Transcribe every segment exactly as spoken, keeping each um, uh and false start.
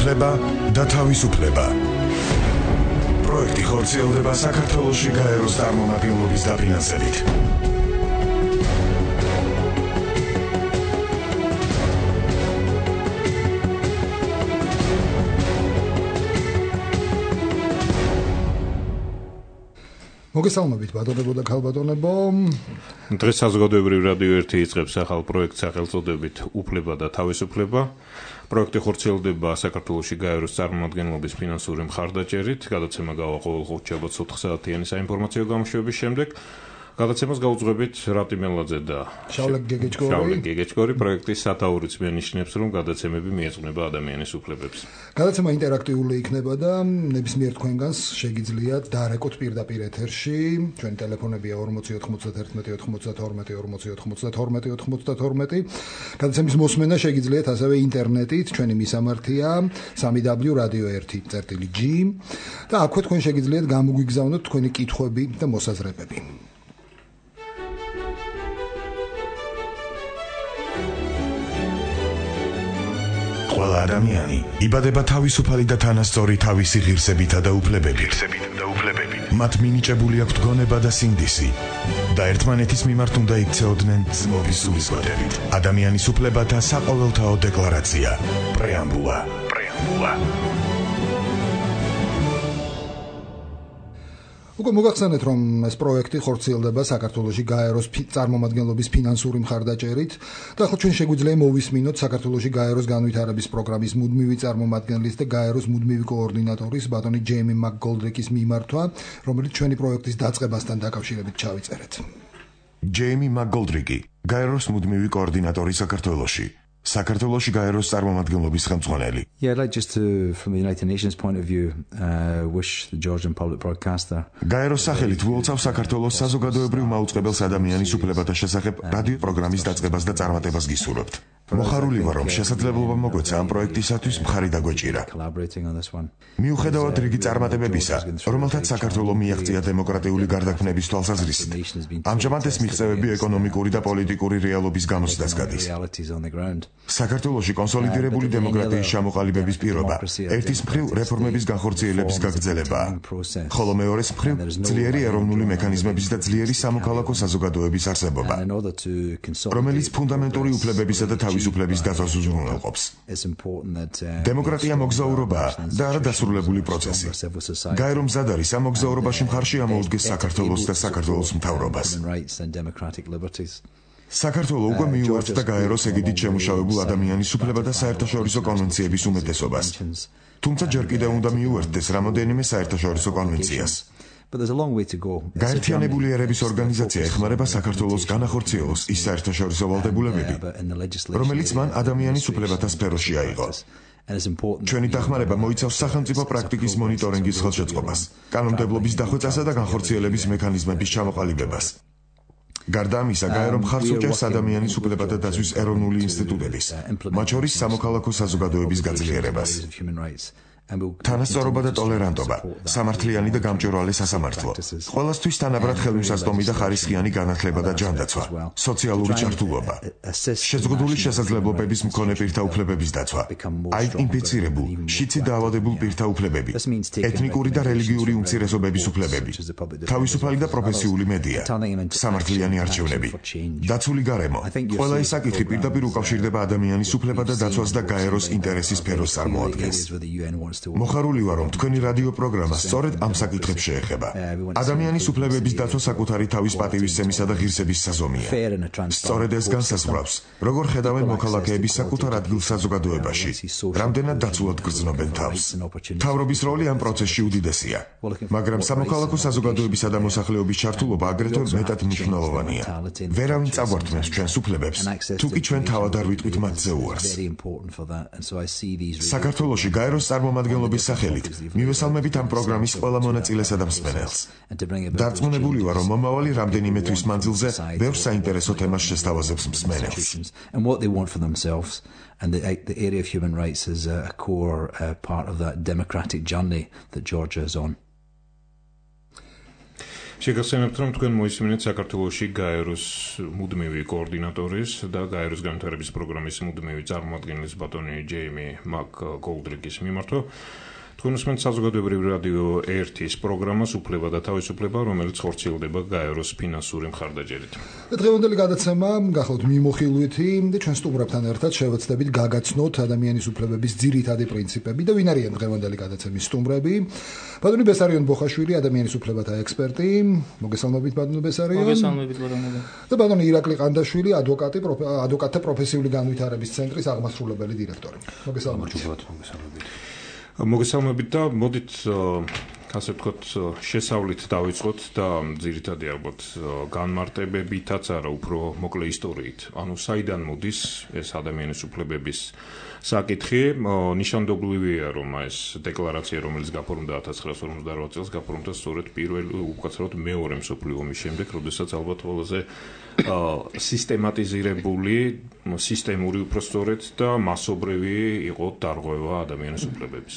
უფლება და თავისუფლება. პროექტი ხორციელდება საქართველოში გაეროს წარმომადგენლობის დაფინანსებით. მოგესალმებით ბატონებო და ქალბატონებო. დღეს საზოგადოებრივ რადიო ერთი იწყებს ახალ პროექტს სახელწოდებით უფლება და თავისუფლება. პროექტი ხორციელდება საქართველოში გაეროს წარმომადგენლობის ფინანსური მხარდაჭერით. გადაცემა გავა ყოველ ხუთშაბათს ოთხ საათიანი საინფორმაციო გამოშვების შემდეგ. გადაცემას გაუძღვებით რატი მელაძე და შავლე გეგეჭკორი. შავლე გეგეჭკორი პროექტის სათაურიც მენიშნებს, რომ გადაცემები მიეძღვნება ადამიანის უფლებებს. გადაცემა ინტერაქტიული იქნება და ნებისმიერ თქვენგანს შეგიძლიათ დარეკოთ პირდაპირ ეთერში. ჩვენი ტელეფონებია ორმოცი ოთხმოცდაერთმეტი ოცდათორმეტი ორმოცი ოთხმოცდათორმეტი ოცდათორმეტი. გადაცემის მოსმენა შეგიძლიათ ასევე ინტერნეტით. ჩვენი მისამართია სამი დაბლიუ რადიო ერთი წერტილი ჯი და აქვე თქვენ შეგიძლიათ გამოგვიგზავნოთ თქვენი კითხვები და მოსაზრებები. ყველა ადამიანი იბადება თავისუფალი და თანასწორი თავისი ღირსებითა და უფლებებით. მათ მინიჭებული აქვთ გონება და სინდისი და ერთმანეთის მიმართ უნდა იქცეოდნენ ძმობის სულისკვეთებით. ადამიანის უფლებათა საყოველთაო დეკლარაცია. პრეამბულა. პრეამბულა. უკვე მოგახსენეთ, რომ ეს პროექტი ხორციელდება საქართველოში გაეროს წარმომადგენლობის ფინანსური მხარდაჭერით და ახლა ჩვენ შეგვიძლია მოვისმინოთ საქართველოში გაეროს განვითარების პროგრამის მუდმივი წარმომადგენლის და გაეროს მუდმივი კოორდინატორის ბატონი ჯეიმი მაკგოლდრიკის მიმართვა, რომელიც ჩვენი პროექტის დაწყებასთან დაკავშირებით ჩავიწერეთ. ჯეიმი მაკგოლდრიკი, გაეროს მუდმივი კოორდინატორი საქართველოში. საქართველოში გაეროს წარმომადგენლობის ხელმძღვანელი. Yeah, I'd like just to, from the United Nations point of view, uh, wish the Georgian public broadcaster. გაეროს სახელით ვუოლცავ საქართველოს საზოგადოებრივ მაუწყებელს ადამიანის უფლებათა შესახებ რადიო პროგრამის დაწყებას და წარმატებას გისურვებთ. მოხარული ვარ, რომ შესაძლებლობა მოგვეცა ამ პროექტისათვის მხარი დაგვეჭირა. მიუხედავად რიგი წარმატებებისა, რომელთაც საქართველო მიაღწია დემოკრატიული გარდაქმნების თვალსაზრისით, ამჟამად ეს მიღწევები ეკონომიკური და პოლიტიკური რეალობის გამოცდას გადის. საქართველოში კონსოლიდირებული დემოკრატიის ჩამოყალიბების პირობა ერთის მხრივ რეფორმების განხორციელების გაგრძელებაა, ხოლო მეორეს მხრივ ძლიერი ეროვნული მექანიზმების და ძლიერი სამოქალაქო საზოგადოების არსებობა, რომელიც ფუნდამენტური უფლებებისა და თავისუფლების დაცვას უზრუნველყოფს. დემოკრატია მოგზაურობაა და არა დასრულებული პროცესი. გაერო მზად არის ამ მოგზაურობაში მხარში ამოუდგეს საქართველოს და საქართველოს მთავრობას. საქართველო უკვე მიუერთდა გაეროს ეგიდით შემუშავებულ ადამიანის უფლება და საერთაშორისო კონვენციების უმეტესობას. თუმცა ჯერ კიდევ უნდა მიუერთდეს რამოდენიმე საერთაშორისო კონვენციას. გაერთიანებული ერების ორგანიზაცია ეხმარება საქართველოს განახორციელოს ის საერთაშორისო ვალდებულებები, რომელიც მან ადამიანის უფლებათა სფეროში აიღო. ჩვენი დახმარება მოიცავს სახელმწიფო პრაქტიკის მონიტორინგის ხელშეწყობას, კანონმდებლობის დახვეწასა და განხორციელების მექანიზმების ჩამოყალიბებას. გარდა ამისა, გაერო მხარს უჭერს ადამიანის უფლებათა დაცვის ეროვნული ინსტიტუტების, მათ შორის სამოქალაქო საზოგადოების გაძლიერებას. თანასწორობა და ტოლერანტობა, სამართლიანი და გამჭვირვალე სასამართლო, ყველასთვის თანაბრად ხელმისაწვდომი და ხარისხიანი განათლება და ჯანდაცვა, სოციალური ჩართულობა, შეზღუდული შესაძლებლობების მქონე პირთა უფლებების დაცვა, აიდენტიფიცირებულ, შიცი დაავადებულ პირთა უფლებები, ეთნიკური და რელიგიური უმცირესობების უფლებები, თავისუფალი და პროფესიული მედია, სამართლიანი არჩევნები, დაცული გარემო. ყველა ეს საკითხი პირდაპირ უკავშირდება ადამიანის უფლება და დაცვას და გაეროს ინტერესის სფეროს წარმოადგენს. მოხარული ვარ, რომ თქვენი რადიო პროგრამა სწორედ ამ საკითხებს შეეხება. ადამიანის უფლებების დაცვა საკუთარი თავის პატივისცემისა და ღირსების საზომია. სწორედ ეს განსაზღვრავს, როგორ ხედავენ მოქალაქეები საკუთარ ადგილს საზოგადოებაში, რამდენად დაცულად გრძნობენ თავს. მთავრობის როლი ამ პროცესში უდიდესია, მაგრამ სამოქალაქო საზოგადოებისა და მოსახლეობის ჩართულობა აგრეთვე მეტად მნიშვნელოვანია. ვერავინ წაგვართმევს ჩვენს უფლებებს, თუკი ჩვენ თავად არ ვიტყვით მათზე უარს. საქართველოში გაეროს წარმომადგენლობის სახელით მივესალმებით ამ პროგრამის ყველა მონაწილესა და მსმენელს. დარწმუნებული ვარ, რომ მომავალი რამდენიმე თვის მანძილზე ბევრ საინტერესო თემას შესთავაზებს მსმენელს. And the, the area of human rights is a core uh, part of that democratic journey that Georgia is on. შეგახსენებთ, რომ თქვენ მოისმინეთ საქართველოში გაეროს მუდმივი კოორდინატორის და გაეროს განვითარების პროგრამის მუდმივი წარმომადგენლის ბატონი ჯეიმი მაკ-გოლდრიკის მიმართვა. თქვენ უსმენთ საზოგადოებრივ რადიო ერთის პროგრამას უფლება და თავისუფლება, რომელიც ხორციელდება გაეროს ფინანსური მხარდაჭერით. დღევანდელი გადაცემა გახლავთ მიმოხილვითი და ჩვენ სტუმრებთან ერთად შევეცდებით გაგაცნოთ ადამიანის უფლებების ძირითადი პრინციპები და ვინ არიან დღევანდელი გადაცემის სტუმრები. ბატონი ბესარიონ ბოხაშვილი, ადამიანის უფლებათა ექსპერტი. მოგესალმებით ბატონო ბესარიონ. მოგესალმებით ბატონო. და ბატონი ირაკლი ყანდაშვილი, ადვოკატი, ადვოკატთა პროფესიული განვითარების ცენტრის აღმასრულებელი დირექტორი. მოგესალმებით. მოგესალმებით. მოგესალმებით და მოდით ასე ვთქვათ შესავლით დავიწყოთ და ძირითადად ალბათ განმარტებებითაც არა უფრო მოკლე ისტორიით. ანუ საიდან მოდის ეს ადამიანის უფლებების საკითხი? ნიშანდობლივია, რომ ეს დეკლარაცია, რომელიც გაფორმდა ათას ცხრაასი ორმოცდაარბაათ წელს, გაფორმდა სწორედ პირველ უკაცრავად მეორე მსოფლიო ომის შემდეგ, როდესაც ალბათ ყველაზე სისტემატიზირებული, სისტემური უпростоრეთ და მასობრივი იყო დარღვევა ადამიანის უფლებების.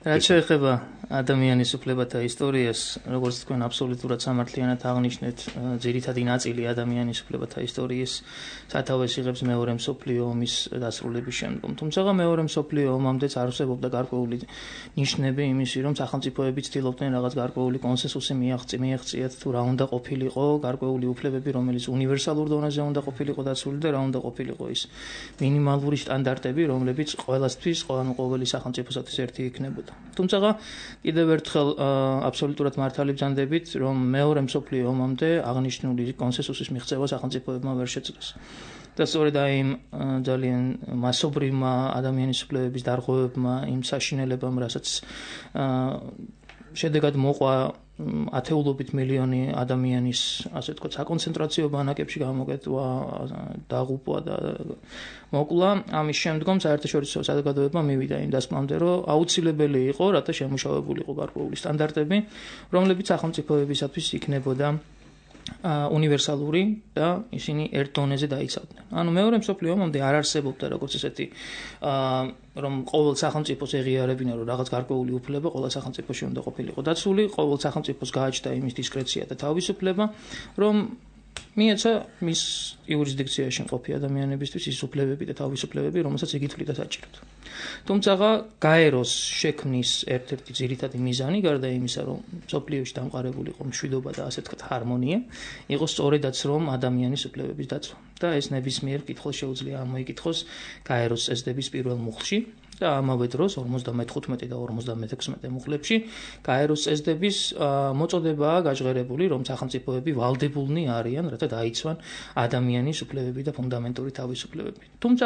რაც შეეხება ადამიანის უფლებათა ისტორიას, როგორც თქვენ აბსოლუტურად სამართლიანად აღნიშნეთ, ძირითადი ნაწილი ადამიანის უფლებათა ისტორიის სათავეს იღებს მეორე მსოფლიო ომის დასრულების შემდგომ. თუმცა მეორე მსოფლიო ომამდეც არსებობდა გარკვეული ნიშნები იმისი, რომ სახელმწიფოები ცდილობდნენ რაღაც გარკვეული კონსენსუსი მიაღწიათ თუ რა უნდა ყოფილიყო გარკვეული უფლებები, რომელიც უნივერსალურ დონეზე უნდა ყოფილიყო დაცული და რა უნდა ყოფილიყო ის მინიმალური სტანდარტები, რომლებიც ყველასთვის, ანუ ყოველი სახელმწიფოსათვის ერთი იქნებოდა. თუმცა კიდევ ერთხელ აბსოლუტურად მართალი ბრძანდებით, რომ მეორე მსოფლიო ომამდე აღნიშნული კონსენსუსის მიღწევა სახელმწიფოებმა ვერ შეძლეს. და სწორედ აი იმ ძალიან მასობრივმა ადამიანის უფლებების დარღვევებმა, იმ საშინელებამ, რასაც შედეგად მოყვა ათეულობით მილიონი ადამიანის, ასე ვთქვათ, საკონცენტრაციო ბანაკებში გამოკეტვა, დაღუპვა და მოკლა, ამის შემდგომ საერთაშორისო საზოგადოებამ მივიდა იმ დასკვნამდე, რომ აუცილებელი იყო, რათა შემუშავებულიყო გარკვეული სტანდარტები, რომლებიც სახელმწიფოებისათვის იქნებოდა უნივერსალური და ისინი ერთ დონეზე დაიცავდნენ. ანუ მეორე მსოფლიო ომამდე არ არსებობდა როგორც ესეთი რომ ყოველ სახელმწიფოს ეღიარებინა რომ რაღაც გარკვეული უფლება ყოველ სახელმწიფოში უნდა ყოფილიყო დაცული, ყოველ სახელმწიფოს გააჩნდა იმის დისკრეცია და თავისუფლება, რომ მიეცა მის იურისდიქციაში მყოფი ადამიანებისთვის ის უფლებები და თავისუფლებები, რომელსაც იგი თვლიდა საჭიროდ. თუმცა გაეროს შექმნის ერთ-ერთი ძირითადი მიზანი, გარდა იმისა, რომ მსოფლიოში დამყარებული იყო მშვიდობა და ასე ვთქვათ ჰარმონია, იყო სწორედაც რომ ადამიანის უფლებების დაცვა. და ეს ნებისმიერ კითხვას შეუძლია ამოიკითხოს გაეროს წესდების პირველ მუხლში. და ამავე დროს ორმოცდამეხუთმეტე და ორმოცდამეექვსმეტე მუხლებში გაეროს წესდების მოწოდებაა გაჟღერებული, რომ სახელმწიფოები ვალდებულნი არიან, რათა დაიცვან ადამიანის უფლებები და ფუნდამენტური თავისუფლებები. თუმცა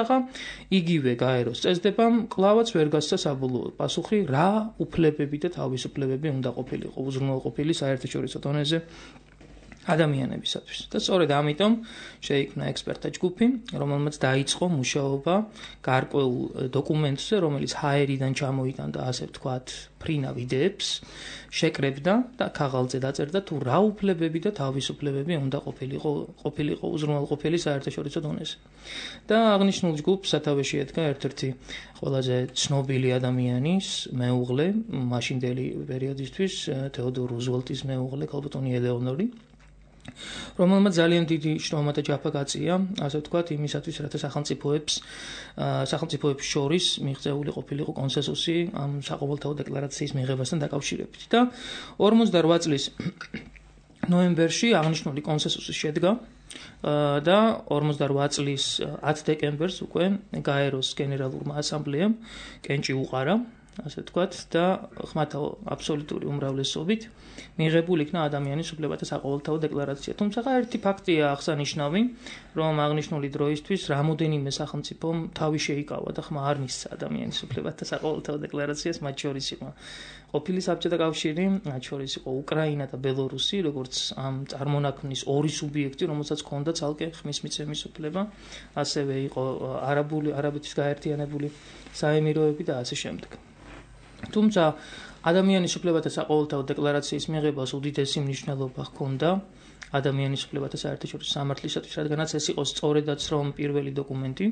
იგივე გაეროს წესდებამ კლავაც ვერ გასცა საბოლოო პასუხი, რა უფლებები და თავისუფლებები უნდა ყოფილიყო უზრუნველყოფილი საერთაშორისო დონეზე ადამიანებისათვის. და სწორედ ამიტომ შეიქმნა ექსპერტთა ჯგუფი, რომელმაც დაიწყო მუშაობა გარკვეულ დოკუმენტზე, რომელიც ჰაერიდან ჩამოიტანდა, ასე ვთქვათ, ფრინავ იდეებს, შეკრებდა და ქაღალდზე დაწერდა თუ რა უფლებები და თავისუფლებები უნდა ყოფილიყო ყოფილიყო უზრუნველყოფილი საერთაშორისო დონეზე. და აღნიშნულ ჯგუფს სათავეში ედგა ერთ-ერთი ყველაზე ცნობილი ადამიანის მეუღლე, მაშინდელი პერიოდისთვის თეოდორ რუზველტის მეუღლე, ქალბატონი ელეონორი, რომელმაც ძალიან დიდი შრომა და ჯაფა გაწია, ასე ვთქვათ, იმისათვის, რათა სახელმწიფოებს სახელმწიფოებს შორის მიღწეული ყოფილიყო კონსენსუსი ამ საყოველთაო დეკლარაციის მიღებასთან დაკავშირებით. და ორმოცდარვა წლის ნოემბერში აღნიშნული კონსენსუსი შედგა და ორმოცდარვა წლის ათ დეკემბერს უკვე გაეროს გენერალურმა ასამბლეამ კენჭი უყარა, ასე ვთქვათ, და ხმათა აბსოლუტური უმრავლესობით მიღებულ იქნა ადამიანის უფლებათა საყოველთაო დეკლარაცია. თუმცა ერთი ფაქტია აღსანიშნავი, რომ აღნიშნული დროისთვის რამოდენიმე სახელმწიფომ თავი შეიკავა და ხმა არ მისცა ადამიანის უფლებათა საყოველთაო დეკლარაციას, მათ შორის იყო ყოფილი საბჭოთა კავშირი, მათ შორის იყო უკრაინა და ბელორუსი, როგორც ამ წარმონაქმნის ორი სუბიექტი, რომელსაც ჰქონდა ცალკე ხმის მიცემის უფლება, ასევე იყო არაბული არაბეთის გაერთიანებული საემიროები და ასე შემდეგ. თუმცა ადამიანის უფლებათა საყოველთაო დეკლარაციის მიღებას უდიდესი მნიშვნელობა ჰქონდა ადამიანის უფლებათა საერთაშორისო სამართლისათვის, რადგანაც ეს იყო სწორედაც რომ პირველი დოკუმენტი,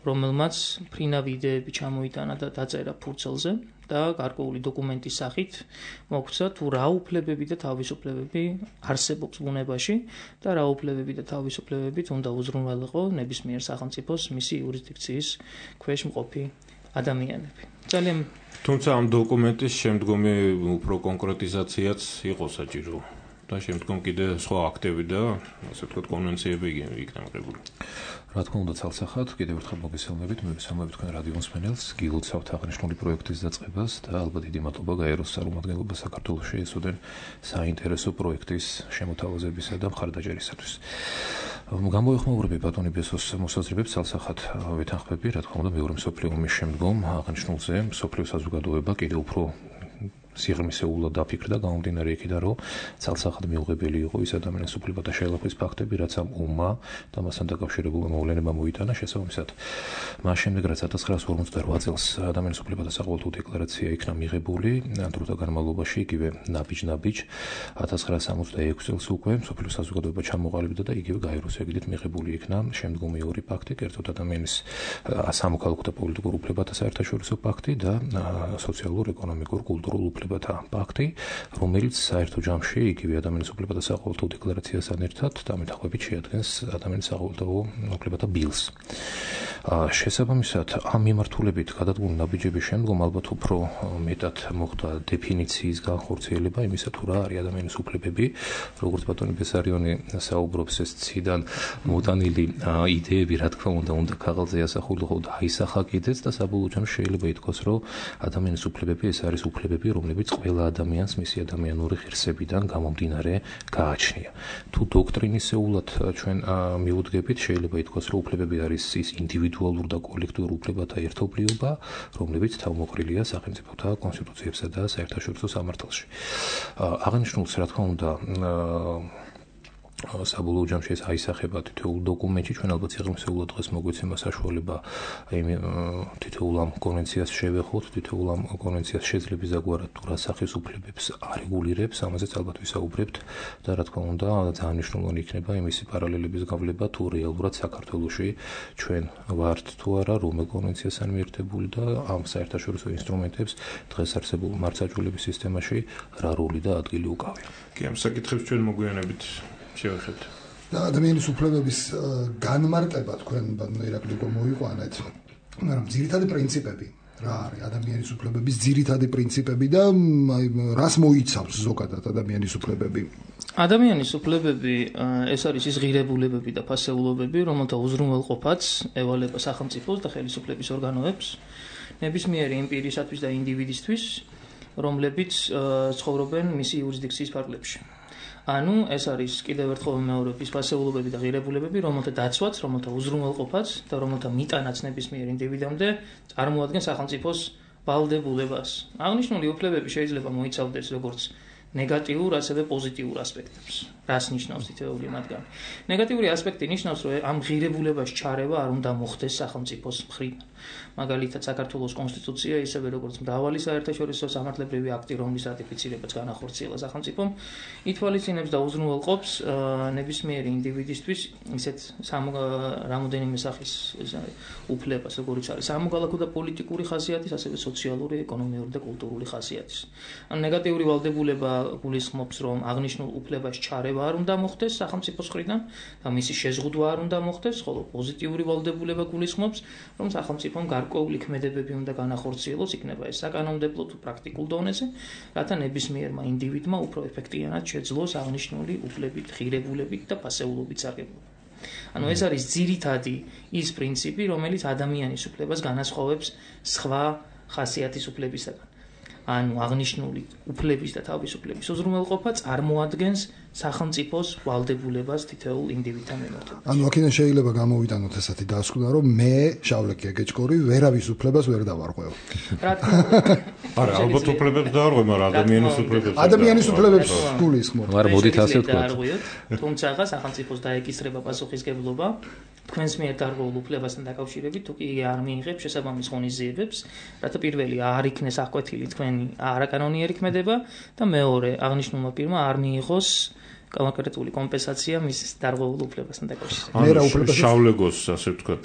რომელმაც ფრინავი იდეები ჩამოიტანა და დაწერა ფურცელზე და გარკვეული დოკუმენტის სახით მოგვცა თუ რა უფლებები და თავისუფლებები არსებობს ბუნებაში და რა უფლებები და თავისუფლებებით უნდა უზრუნველყო ნებისმიერ სახელმწიფოს მისი იურისდიქციის ქვეშ მყოფი ადამიანები. ძალიან თუმცა ამ დოკუმენტის შემდგომი უფრო კონკრეტიზაციაც იყო საჭირო და შემდგომ კიდე სხვა აქტები და ასე ვთქვათ კონვენციები იქნა მიღებული. რა თქმა უნდა, ცალსახად კიდევ ერთხელ მოგესალმებით, მივესალმებით თქვენ რადიო მსმენელს, გილოცავთ აღნიშნული პროექტის დაწყებას და ალბათ დიდი მადლობა გაეროს წარმომადგენლობას საქართველოში ეს უდენ საინტერესო პროექტის შემოთავაზებისა და მხარდაჭერისათვის. გამოეხმაურები ბატონი ბესოს მოსაზრებებს ცალსახად ვეთანხმები, რა თქმა უნდა, მეორე მსოფლიო ომის შემდგომ აღნიშნულზე მსოფლიო საზოგადოება კიდევ უფრო სიღრმისეულად დაფიქრდა გამომდინარე იქიდან, რომ ცალსახად მიუღებელი იყო ის ადამიანის უფლებათა შეალაფრის ფაქტები, რაც ამ ომმა და მასთან დაკავშირებულმა მოვლენებამ მოიტანა. შესაბამისად, მას შემდეგ, რაც ათას ცხრაასი ორმოცდაოთხ წელს ადამიანის უფლებათა საყოველთაო დეკლარაცია იქნა მიღებული, დროთა განმავლობაში იგივე ნაბიჯ-ნაბიჯ ათას ცხრაასი სამოცდაექვსი წელს უკვე მსოფლიო საზოგადოება ჩამოყალიბდა და იგივე გაეროს ეგიდით მიღებული იქნა შემდგომი ორი პაქტი, კერძოდ ადამიანის სამოქალაქო და პოლიტიკურ უფლებათა საერთაშორისო პაქტი და სოციალურ, ეკონომიკურ, კულტურულ უფლებათა პაქტი, რომელიც საერთო ჯამში იგივე ადამიანის უფლებათა საყოველთაო დეკლარაციასთან ერთად დამეთახვებით შეადგენს ადამიანის საყოველთაო უფლებათა ბილს. შესაბამისად, ამ მიმართულებით გადადგმული ნაბიჯების შემდგომ ალბათ უფრო მეტად მოხდა დეფინიციის განხორციელება იმისა, თუ რა არის ადამიანის უფლებები, როგორც ბატონი ბესარიონი საუბრობს, ეს ციდან მოტანილი იდეები, რა თქმა უნდა, უნდა ქაღალდზე ასახულიყო და აისახა კიდეც და საბოლოო ჯამში შეიძლება ითქვას, რომ ადამიანის უფლებები ეს არის უფლებები, რომლებიც ყველა ადამიანს მისი ადამიანური ღირსებიდან გამომდინარე გააჩნია. თუ დოქტრინისეულად ჩვენ მიუდგებით, შეიძლება ითქვას, რომ უფლებები არის ის ინდივიდუალურ და კოლექტიურ უფლებათა ერთობლიობა, რომლებიც თავმოყრილია სახელმწიფოთა კონსტიტუციებსა და საერთაშორისო სამართალში. აღნიშნულს, რა თქმა უნდა, საბოლოო ჯამში ეს აისახება თითოეულ დოკუმენტში, ჩვენ ალბათ სიღრმისეულად დღეს მოგვეცემა საშუალება იმ თითოეულ ამ კონვენციას შევეხოთ, თითოეულ ამ კონვენციას შეძლებს ზაგვარად თუ რა სახის უფლებებს არეგულირებს, ამაზეც ალბათ ვისაუბრებთ და რა თქმა უნდა, ძალიან მნიშვნელოვანი იქნება იმისი პარალელების გავლება, თუ რეალურად საქართველოში ჩვენ ვართ თუ არა რომელ კონვენციასთან მიერთებული და ამ საერთაშორისო ინსტრუმენტებს დღეს არსებულ მართლმსაჯულების სისტემაში რა როლი და ადგილი უკავია. კი, ამ საკითხებს ჩვენ მოგვიანებით შევეხებთ. და ადამიანის უფლებების განმარტება თქვენ ბატონო ირაკლიკო მოიყვანეთ, მაგრამ ძირითადი პრინციპები რა არის ადამიანის უფლებების ძირითადი პრინციპები და აი რას მოიცავს ზოგადად ადამიანის უფლებები? ადამიანის უფლებები ეს არის ის ღირებულებები და ფასეულობები, რომელთა უზრუნველყოფაც ევალება სახელმწიფოს და ხელისუფლების ორგანოებს ნებისმიერი იმ პირისათვის და ინდივიდისთვის, რომლებიც ცხოვრობენ მისი იურისდიქციის ფარგლებში. ანუ ეს არის კიდევ ერთხელ ვიმეორებ ის ფასეულობები და ღირებულებები, რომელთა დაცვაც, რომელთა უზრუნველყოფაც და რომელთა მიტანაც ნებისმიერ ინდივიდამდე წარმოადგენს სახელმწიფოს ვალდებულებას. აღნიშნული უფლებები შეიძლება მოიცავდეს როგორც ნეგატიურ, ასევე პოზიტიურ ასპექტებს. რას ნიშნავს თითოეული მათგანი? ნეგატიური ასპექტი ნიშნავს, რომ ამ ღირებულებას ჩარევა არ უნდა მოხდეს სახელმწიფოს მხრიდან. მაგალითად, საქართველოს კონსტიტუცია, ისევე როგორც მრავალი საერთაშორისო სამართლებრივი აქტი, რომლის რატიფიცირებაც განახორციელა სახელმწიფომ, ითვალისწინებს და უზრუნველყოფს ნებისმიერი ინდივიდისთვის ისეთ რამოდენიმე სახის უფლებას, როგორც არის სამოქალაქო და პოლიტიკური ხასიათის, ასევე სოციალური, ეკონომიური და კულტურული ხასიათის. ან ნეგატიური ვალდებულება გულისხმობს, რომ აღნიშნულ უფლებას ჩარევა არ უნდა მოხდეს სახელმწიფოს მხრიდან და მისი შეზღუდვა არ უნდა მოხდეს, ხოლო პოზიტიური ვალდებულება გულისხმობს, რომ სახელმწიფომ გარკვეული ქმედებები უნდა განახორციელოს, იქნება ეს საკანონმდებლო თუ პრაქტიკულ დონეზე, რათა ნებისმიერმა ინდივიდმა უფრო ეფექტიანად შეძლოს აღნიშნული უფლებით, ღირებულებით და ფასეულობით სარგებლობა. ანუ ეს არის ძირითადი ის პრინციპი, რომელიც ადამიანის უფლებას განასხვავებს სხვა ხასიათის უფლებისაგან. ანუ აღნიშნული უფლების და თავისუფლების უზრუნველყოფა წარმოადგენს სახელმწიფოს ვალდებულებას თითოეულ ინდივიდთან მიმართ. ანუ აქედან შეიძლება გამოვიტანოთ ესეთი დასკვნა, რომ მე შავლეკი ეგეჭკორი ვერავის უფლებას ვერ დავარღვევ. რა თქმა უნდა. არა, ალბათ უფლებებს დაარღვევ, მაგრამ ადამიანის უფლებებს ადამიანის უფლებებს გულისხმობ. არ მოდით ასე ვთქვათ. თუმცა სახელმწიფოს დაეკისრება პასუხისგებლობა თქვენს მიერ დარღვეულ უფლებასთან დაკავშირებით, თუ კი არ მიიღებს შესაბამის ღონისძიებებს, რათა პირველი არ იქნეს აღკვეთილი თქვენი არაკანონიერი ქმედება და მეორე აღნიშნულმა პირმა არ მიიღოს კონკრეტული კომპენსაცია მის დარღვეულ უფლებასთან დაკავშირებით. მე რა უფლებას შავლეგოს ასე ვთქვათ.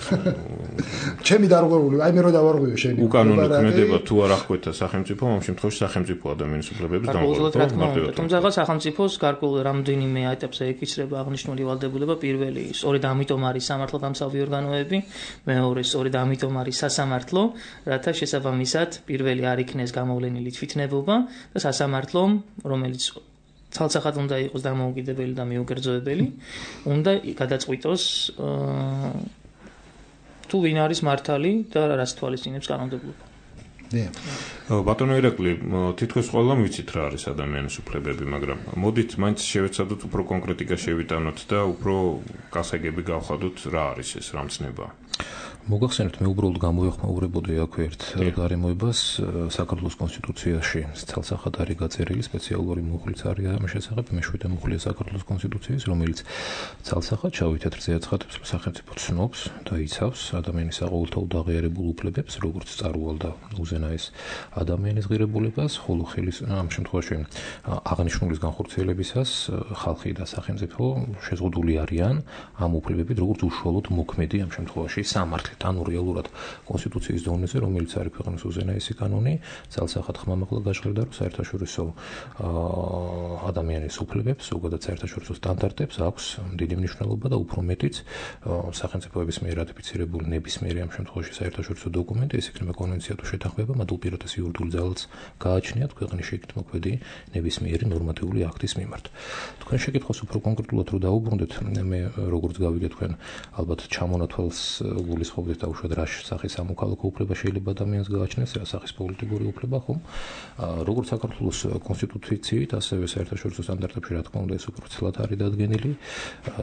ჩემი დარღვეული, აი მე რო დავარღვიო შენი. უკანონო ქმედება თუ არ აღკვეთა სახელმწიფო, ამ შემთხვევაში სახელმწიფო ადამიანის უფლებების დამყარება. თუმცა სახელმწიფოს გარკვეულ რამდენიმე ეტაპზე ეკისრება აღნიშნული ვალდებულება. პირველი, სწორედ ამიტომ არის სამართალდამცავი ორგანოები, მეორე, სწორედ ამიტომ არის სასამართლო, რათა შესაბამისად პირველი არ იქნეს გამოვლენილი თვითნებობა და სასამართლომ, რომელიც ცალსახად უნდა იყოს დამოუკიდებელი და მიუკერძოებელი, უნდა გადაწყვიტოს თუ ვინ არის მართალი და რას თვალისწინებს კანონმდებლობა. ბატონო ირაკლი, თითქოს ყველამ ვიცით რა არის ადამიანის უფლებები, მაგრამ მოდით მაინც შევეცადოთ უფრო კონკრეტიკა შევიტანოთ და უფრო გასაგები გავხადოთ რა არის ეს რამცნება. მოგახსენებთ, მე უბრალოდ გამოვეხმაურებოდი აქ ერთ გარემოებას საქართველოს კონსტიტუციაში ცალსახად არის გაწერილი სპეციალური მუხლიც არის ამ შესახებ, მეშვიდე მუხლია საქართველოს კონსტიტუციის, რომელიც ცალსახად შავი თეთრზე აცხადებს, რომ სახელმწიფო ცნობს და იცავს ადამიანის საყოველთაოდ აღიარებულ უფლებებს, როგორც წარუვალდა უზენაეს ადამიანის ღირებულებას, ხოლო ხელის ამ შემთხვევაში აღნიშნულის განხორციელებისას ხალხი და სახელმწიფო შეზღუდული არიან ამ უფლებებით, როგორც უშუალოდ მოქმედი ამ შემთხვევაში სამართლით, ანუ რეალურად კონსტიტუციის დონეზე, რომელიც არის ქვეყნის უზენაესი კანონი, ძალსახად ხმამაღლა გაჟღერდა, რომ საერთაშორისო ადამიანის უფლებებს, ზოგადად საერთაშორისო სტანდარტებს აქვს დიდი მნიშვნელობა და უფრო მეტიც სახელმწიფოების მიერ რატიფიცირებული ნებისმიერი ამ შემთხვევაში საერთაშორისო დოკუმენტი, ეს იქნება კონვენცია თუ შეთანხმება, მათ უპირატეს იურიდიულ ძალას გააჩნიათ ქვეყნის შეკით მოქმედი ნებისმიერი ნორმატიული აქტის მიმართ. თქვენ შეკითხვას უფრო კონკრეტულად რო დაუბრუნდეთ, მე როგორც გავიგე თქვენ ალბათ ჩამონათვალს გულისხმობთ და უშუალოდ რა სახის სამოქალაქო უფლება შეიძლება ადამიანს გააჩნდეს, რა სახის პოლიტიკური უფლება, ხომ? როგორც საქართველოს კონსტიტუციით, ასევე საერთაშორისო სტანდარტებში, რა თქმა უნდა, ეს უბრალოდ არის დადგენილი.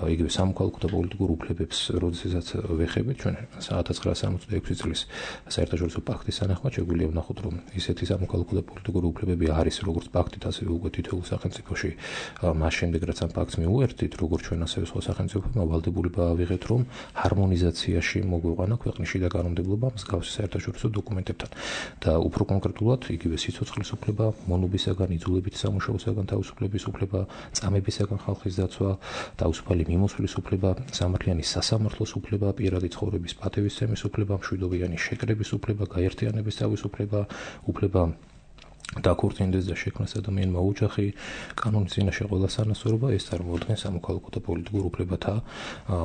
იგივე სამოქალაქო და პოლიტიკურ უფლებებს, როდესაც ვეხებით, ჩვენ ათას ცხრაასი სამოცდაექვსი წლის საერთაშორისო პაქტის თანახმად შეგვიძლია ვნახოთ, რომ ისეთი სამოქალაქო და პოლიტიკური უფლებები არის, როგორც პაქტით, ასევე უკვე თითოეულ სახელმწიფოში, მას შემდეგ რაც ამ პაქტს მიუერთდით, როგორც ჩვენ ასევე სხვა სახელმწიფოებმა ვალდებულება ავიღეთ, რომ ჰარმონიზაციაში მოგვეყვანა ქვეყნის შიდა კანონმდებლობა მსგავსი საერთაშორისო დოკუმენტებთან და უფრო კონკრეტულად იგივე სიცოცხლის უფლება, მონობისაგან, იძულებითი სამუშაოსაგან თავისუფლების უფლება, წამებისაგან ხალხის დაცვა, თავისუფალი მიმოსვლის უფლება, სამართლიანი სასამართლოს უფლება, პირადი ცხოვრების პატივისცემის უფლება, მშვიდობიანი შეკრების უფლება, გაერთიანების თავისუფლება, უფლება დაქორწინდეს და შექმნას ადამიანმა ოჯახი, კანონის წინაშე ყველა სანასწორობა, ეს წარმოადგენს სამოქალაქო და პოლიტიკურ უფლებათა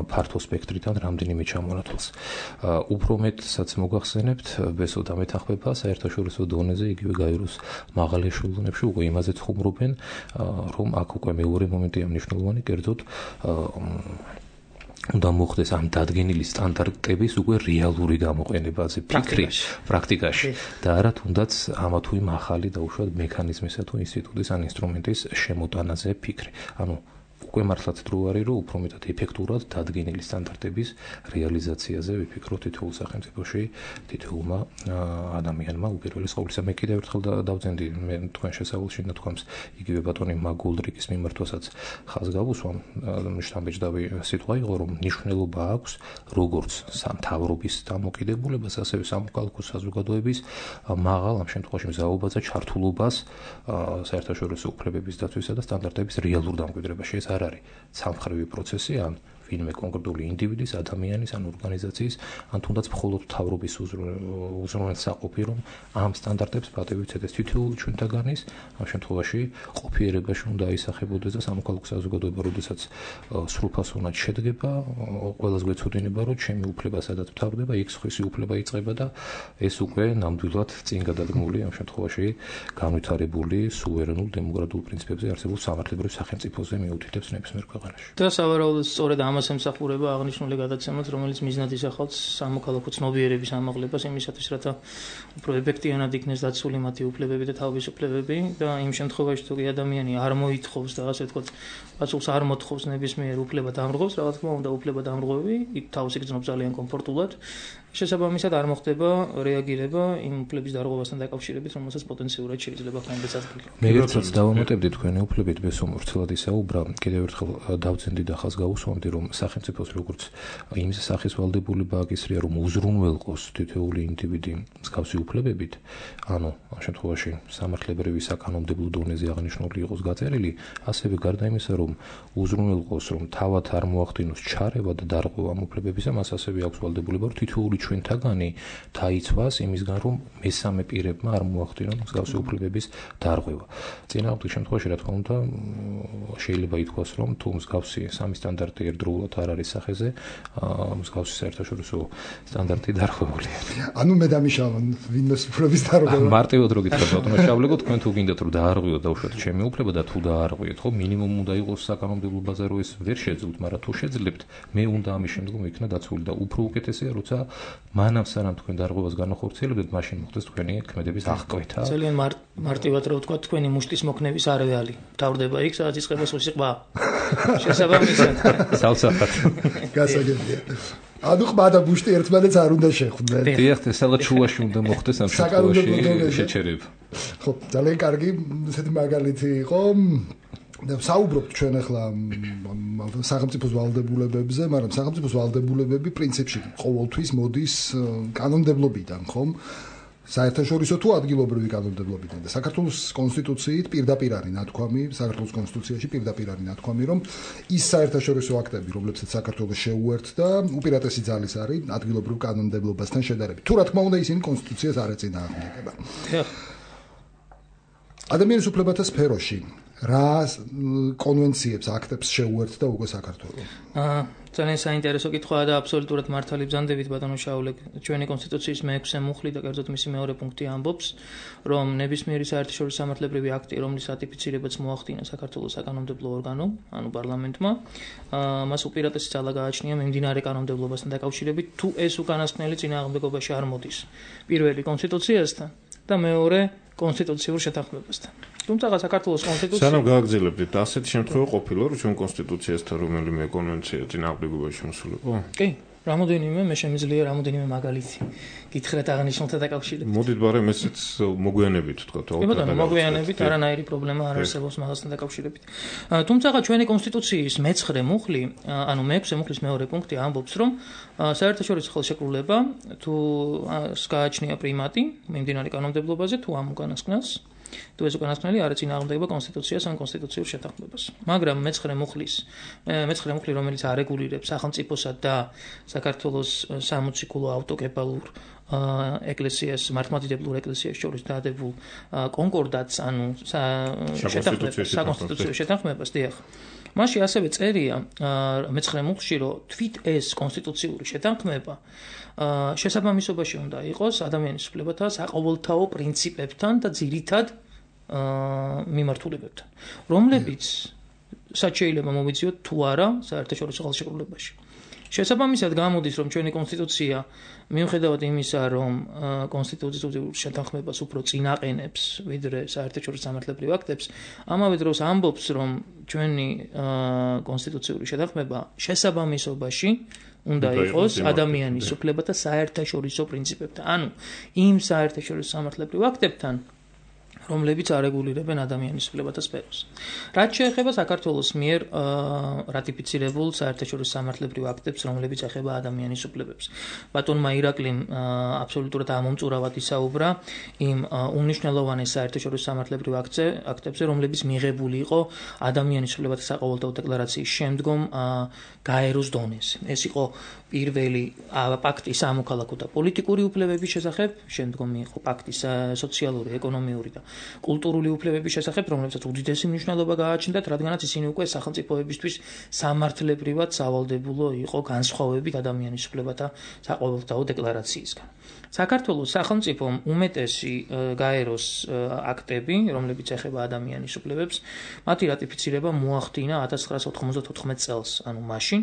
ფართო სპექტრიდან რამდენიმე ჩამონათვალს. უფრო მეტსაც მოგახსენებთ, ბესო დამეთანხმება საერთაშორისო დონეზე, იგივე გაეროს მაღალ ეშელონებში უკვე იმაზე ხუმრობენ, რომ აქ უკვე მეორე მომენტია მნიშვნელოვანი, კერძოდ უნდა მოხდეს ამ დადგენილი სტანდარტების უკვე რეალური გამოყენებაზე ფიქრი პრაქტიკაში და არა თუნდაც ამა თუ იმ ახალი და უშუალოდ მექანიზმისა თუ ინსტიტუტის ან ინსტრუმენტის შემოტანაზე ფიქრი. ანუ უკვე მართლაც დრო არის, რომ უფრო მეტად ეფექტურად დადგენილი სტანდარტების რეალიზაციაზე ვიფიქროთ თითოეულ სახელმწიფოში, თითოეულმა ადამიანმა უპირველეს ყოვლისა. მე კიდევ ერთხელ დავძენდი მე თქვენ შესავალში ნათქვამს იგივე ბატონი მაგულდრიკის მიმართვასაც ხაზ გავუსვამ, შთამბეჭდავი სიტყვა იყო, რომ მნიშვნელობა აქვს როგორც სამთავრობის დამოკიდებულებას, ასევე სამოქალაქო საზოგადოების მაღალ ამ შემთხვევაში მზაობაზე ჩართულობას საერთაშორისო უფლებების დაცვისა და სტანდარტების რეალურ დამკვიდრებაში. ეს არ არის სამხრივი პროცესი, ან ვინმე კონკრეტული ინდივიდის, ადამიანის ან ორგანიზაციის, ან თუნდაც მხოლოდ მთავრობის უზრუნველსაყოფი, რომ ამ სტანდარტებს პატივი ცედეს თითოეული ჩვენთაგანის, ამ შემთხვევაში ყოფიერებაში უნდა აისახებოდეს და სამოქალაქო საზოგადოება, როდესაც სრულფასოვნად შედგება, ყველას გვეცოდინება, რომ ჩემი უფლება სადაც მთავრდება, იქ სხვისი უფლება იწყება და ეს უკვე ნამდვილად წინ გადადგმული, ამ შემთხვევაში განვითარებული სუვერენულ დემოკრატიულ პრინციპებზე არსებულ სამართლებრივ სახელმწიფოზე მიუთითებს ნებისმიერ ქვეყანაში. და სავარაუდოდ სწორედ ამას ემსახურება აღნიშნული გადაცემაც, რომელიც მიზნად ისახავს სამოქალაქო ცნობიერების ამაღლებას იმისათვის, რათა უფრო ეფექტიანად იქნეს დაცული მათი უფლებები და თავისუფლებები და იმ შემთხვევაში თუ კი ადამიანი არ მოითხოვს და ასე ვთქვათ, პასუხს არ მოთხოვს ნებისმიერ უფლება დამრღვევს, რა თქმა უნდა, უფლება დამრღვევი იქ თავს იგრძნობს ძალიან კომფორტულად. შესაბამისად არ მოხდება რეაგირება იმ უფლების დარღვევასთან დაკავშირებით, რომელსაც პოტენციურად შეიძლება ხმების ადგილი. მე ერთსაც დავამატებდი თქვენი უფლებით, ბესო მორცელად ისაუბრა, კიდევ ერთხელ დავძენდი და ხაზ გავუსვამდი, რომ სახელმწიფოს როგორც იმ სახის ვალდებულება აკისრია, რომ უზრუნველყოს თითოეული ინდივიდი მსგავსი უფლებებით, ანუ ამ შემთხვევაში სამართლებრივი საკანონმდებლო დონეზე აღნიშნული იყოს გაწერილი, ასევე გარდა იმისა, რომ უზრუნველყოს, რომ თავად არ მოახდინოს ჩარევა და დარღვევა ამ უფლებებისა, მას ასევე აქვს ვალდებულება, რომ თითოეული ჩვენთაგანი დაიცვას იმისგან, რომ მესამე პირებმა არ მოახდინონ მსგავსი უფლებების დარღვევა. წინააღმდეგ შემთხვევაში, რა თქმა უნდა, შეიძლება ითქვას, რომ თუ მსგავსი სამი სტანდარტი ერთდროულად არ არის სახეზე, მსგავსი საერთაშორისო სტანდარტი დარღვეულია. ანუ მე დამიშავა ვინმეს უფლების დარღვევა. მარტივად რო გითხრათ, ბატონო შავლეგო, თქვენ თუ გინდათ რომ დაარღვიოთ დაუშვათ ჩემი უფლება და თუ დაარღვიოთ, ხო, მინიმუმ უნდა იყოს საკანონმდებლო ბაზა, რომ ეს ვერ შეძლოთ, მაგრამ თუ შეძლებთ, მე უნდა ამის შემდგომ იქნა დაცული და უფრო უკეთესია, როცა მანამ სანამ თქვენ დარღვევას განახორციელებთ, მაშინ მოხდეს თქვენი ქმედების აღკვეთა. ძალიან მარტივად რო ვთქვა, თქვენი მუშტის მოქნების არეალი თავდება იქ, სადაც იწყება სუსიყვა. შესაბამისად. სალსახად. გასაგებია. ანუ ყმა და ბუშტი ერთმანეთს არ უნდა შეხვდნენ. დიახ, სადაც შუაში უნდა მოხდეს ამ შემთხვევაში შეჩერება. ხო, ძალიან კარგი ესეთი მაგალითი იყო. და საუბრობთ ჩვენ ახლა სახელმწიფოს ვალდებულებებზე, მაგრამ სახელმწიფოს ვალდებულებები პრინციპში ყოველთვის მოდის კანონმდებლობიდან, ხომ? საერთაშორისო თუ ადგილობრივი კანონმდებლობიდან და საქართველოს კონსტიტუციით პირდაპირ არის ნათქვამი, საქართველოს კონსტიტუციაში პირდაპირ არის ნათქვამი, რომ ის საერთაშორისო აქტები, რომლებსაც საქართველოს შეუერთდა, უპირატესი ძალის არის ადგილობრივ კანონმდებლობასთან შედარებით. თუ რა თქმა უნდა, ისინი კონსტიტუციას არ ეწინააღმდეგება. ადამიანის უფლებათა სფეროში რა კონვენციებს, აქტებს შეუერთდა უკვე საქართველო? აა ძალიან საინტერესო კითხვაა და აბსოლუტურად მართალი ბრძანდებით ბატონო შაულე, ჩვენი კონსტიტუციის მეექვსე მუხლი და კერძოდ მისი მეორე პუნქტი ამბობს, რომ ნებისმიერი საერთაშორისო სამართლებრივი აქტი, რომლის რატიფიცირებაც მოახდინა საქართველოს საკანონმდებლო ორგანომ, ანუ პარლამენტმა, მას უპირატესი ძალა გააჩნია მიმდინარე კანონმდებლობასთან დაკავშირებით, თუ ეს უკანასკნელი წინააღმდეგობაში არ მოდის. პირველი კონსტიტუციასთან და მეორე კონსტიტუციურ შეთანხმებასთან. თუმცა საქართველოს კონსტიტუცია სანამ გააგრძელებდით, ასეთი შემთხვევა ყოფილა, რომ ჩვენ კონსტიტუციასთან რომელიმე კონვენცია წინააღმდეგობაში მოსულიყო? კი, რამოდენიმე მე შემიძლია რამოდენიმე მაგალითი გითხრათ აღნიშნულთა დაკავშირებით. მოდით ბარემ ესეც მოგვიანებით ვთქვათ, ხო? ბატონო, მოგვიანებით არანაირი პრობლემა არ არსებობს მაგასთან დაკავშირებით. თუმცა ჩვენი კონსტიტუციის მეცხრე მუხლი, ანუ მეექვსე მუხლის მეორე პუნქტი ამბობს, რომ საერთაშორისო ხელშეკრულება თუ გააჩნია პრიმატი მიმდინარე კანონმდებლობაზე თუ ამ უკანასკნელს თუ ეს უკანასკნელი არ ეწინააღმდეგება კონსტიტუციას ან კონსტიტუციურ შეთანხმებას. მაგრამ მეცხრე მუხლის მეცხრე მუხლი, რომელიც არეგულირებს სახელმწიფოსა და საქართველოს სამოციქულო ავტოკეფალურ ეკლესიას, მართლმადიდებლურ ეკლესიას შორის დადებულ კონკორდატს, ანუ შეთანხმებას, საკონსტიტუციო შეთანხმებას, დიახ. მასში ასევე წერია მეცხრე მუხლში, რომ თვით ეს კონსტიტუციური შეთანხმება შესაბამისობაში უნდა იყოს ადამიანის უფლებათა საყოველთაო პრინციპებთან და ძირითად მიმართულებებთან, რომლებიც სად შეიძლება მოვიძიოთ თუ არა საერთაშორისო ხელშეკრულებაში. შესაბამისად გამოდის, რომ ჩვენი კონსტიტუცია მიუხედავად იმისა, რომ კონსტიტუციურ შეთანხმებას უფრო წინაყენებს, ვიდრე საერთაშორისო სამართლებრივ აქტებს, ამავე დროს ამბობს, რომ ჩვენი კონსტიტუციური შეთანხმება შესაბამისობაში უნდა იყოს ადამიანის უფლებათა საერთაშორისო პრინციპებთან, ანუ იმ საერთაშორისო სამართლებრივ აქტებთან, რომლებიც არეგულირებენ ადამიანის უფლებათა სფეროს. რაც შეეხება საქართველოს მიერ რატიფიცირებულ საერთაშორისო სამართლებრივ აქტებს, რომლებიც ეხება ადამიანის უფლებებს. ბატონმა ირაკლიმ აბსოლუტურად ამომწურავად ისაუბრა იმ უმნიშვნელოვანეს საერთაშორისო სამართლებრივ აქტებზე, რომლებიც მიღებული იყო ადამიანის უფლებათა საყოველთაო დეკლარაციის შემდგომ გაეროს დონეზე. ეს იყო პირველი პაქტი სამოქალაქო და პოლიტიკური უფლებების შესახებ, შემდგომ იყო პაქტი სოციალური, ეკონომიური და კულტურული უფლებების შესახებ, რომლებსაც უდიდესი მნიშვნელობა გააჩნდათ, რადგანაც ისინი უკვე სახელმწიფოებისთვის სამართლებრივად სავალდებულო იყო განსხვავებით ადამიანის უფლებათა საყოველთაო დეკლარაციისგან. საქართველოს სახელმწიფომ უმეტესი გაეროს აქტები, რომლებიც ეხება ადამიანის უფლებებს, მათი რატიფიცირება მოახდინა ათას ცხრაასა ოთხმოცდათოთხმეტ წელს, ანუ მაშინ,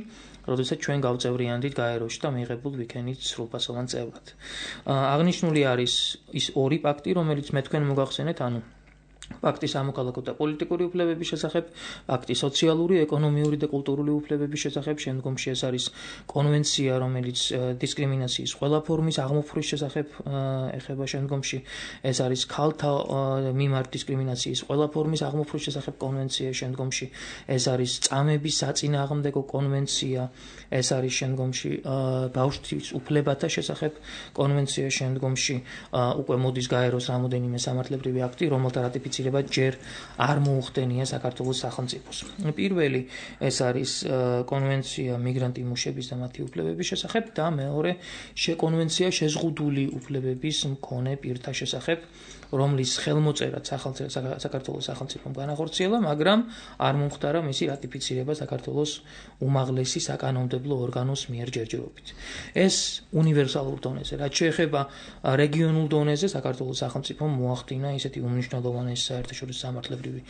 როდესაც ჩვენ გავწევრიანდით გაეროში და მიღებულ ვიქენით სრულფასოვან წევრად. აღნიშნული არის ის ორი პაქტი, რომელიც მე თქვენ მოგახსენეთ, ანუ ფაქტის სამოქალაქო და პოლიტიკური უფლებების შესახებ, ფაქტის სოციალური, ეკონომიური და კულტურული უფლებების შესახებ, შემდგომში ეს არის კონვენცია, რომელიც დისკრიმინაციის ყველა ფორმის აღმოფხვრვის შესახებ ეხება, შემდგომში ეს არის ქალთა მიმართ დისკრიმინაციის ყველა ფორმის აღმოფხვრვის შესახებ კონვენცია, შემდგომში ეს არის წამების საწინააღმდეგო კონვენცია, ეს არის შემდგომში ბავშვის უფლებათა შესახებ კონვენცია, შემდგომში უკვე მოდის გაეროს რამოდენიმე სამართლებრივი აქტი, რომელთა რატიფიცირება ჯერ არ მოუხდენია საქართველოს სახელმწიფოს. პირველი ეს არის კონვენცია მიგრანტი მუშების და მათი უფლებების შესახებ და მეორე კონვენცია შეზღუდული უფლებების მქონე პირთა შესახებ, რომლის ხელმოწერაც საქართველოს სახელმწიფომ განახორციელა, მაგრამ არ მომხდარა მისი რატიფიცირება საქართველოს უმაღლესი საკანონმდებლო ორგანოს მიერ ჯერჯერობით. ეს უნივერსალურ დონეზე, რაც შეეხება რეგიონულ დონეზე, საქართველოს სახელმწიფომ მოახდინა ისეთი უმნიშვნელოვანესი საერთაშორისო სამართლებრივი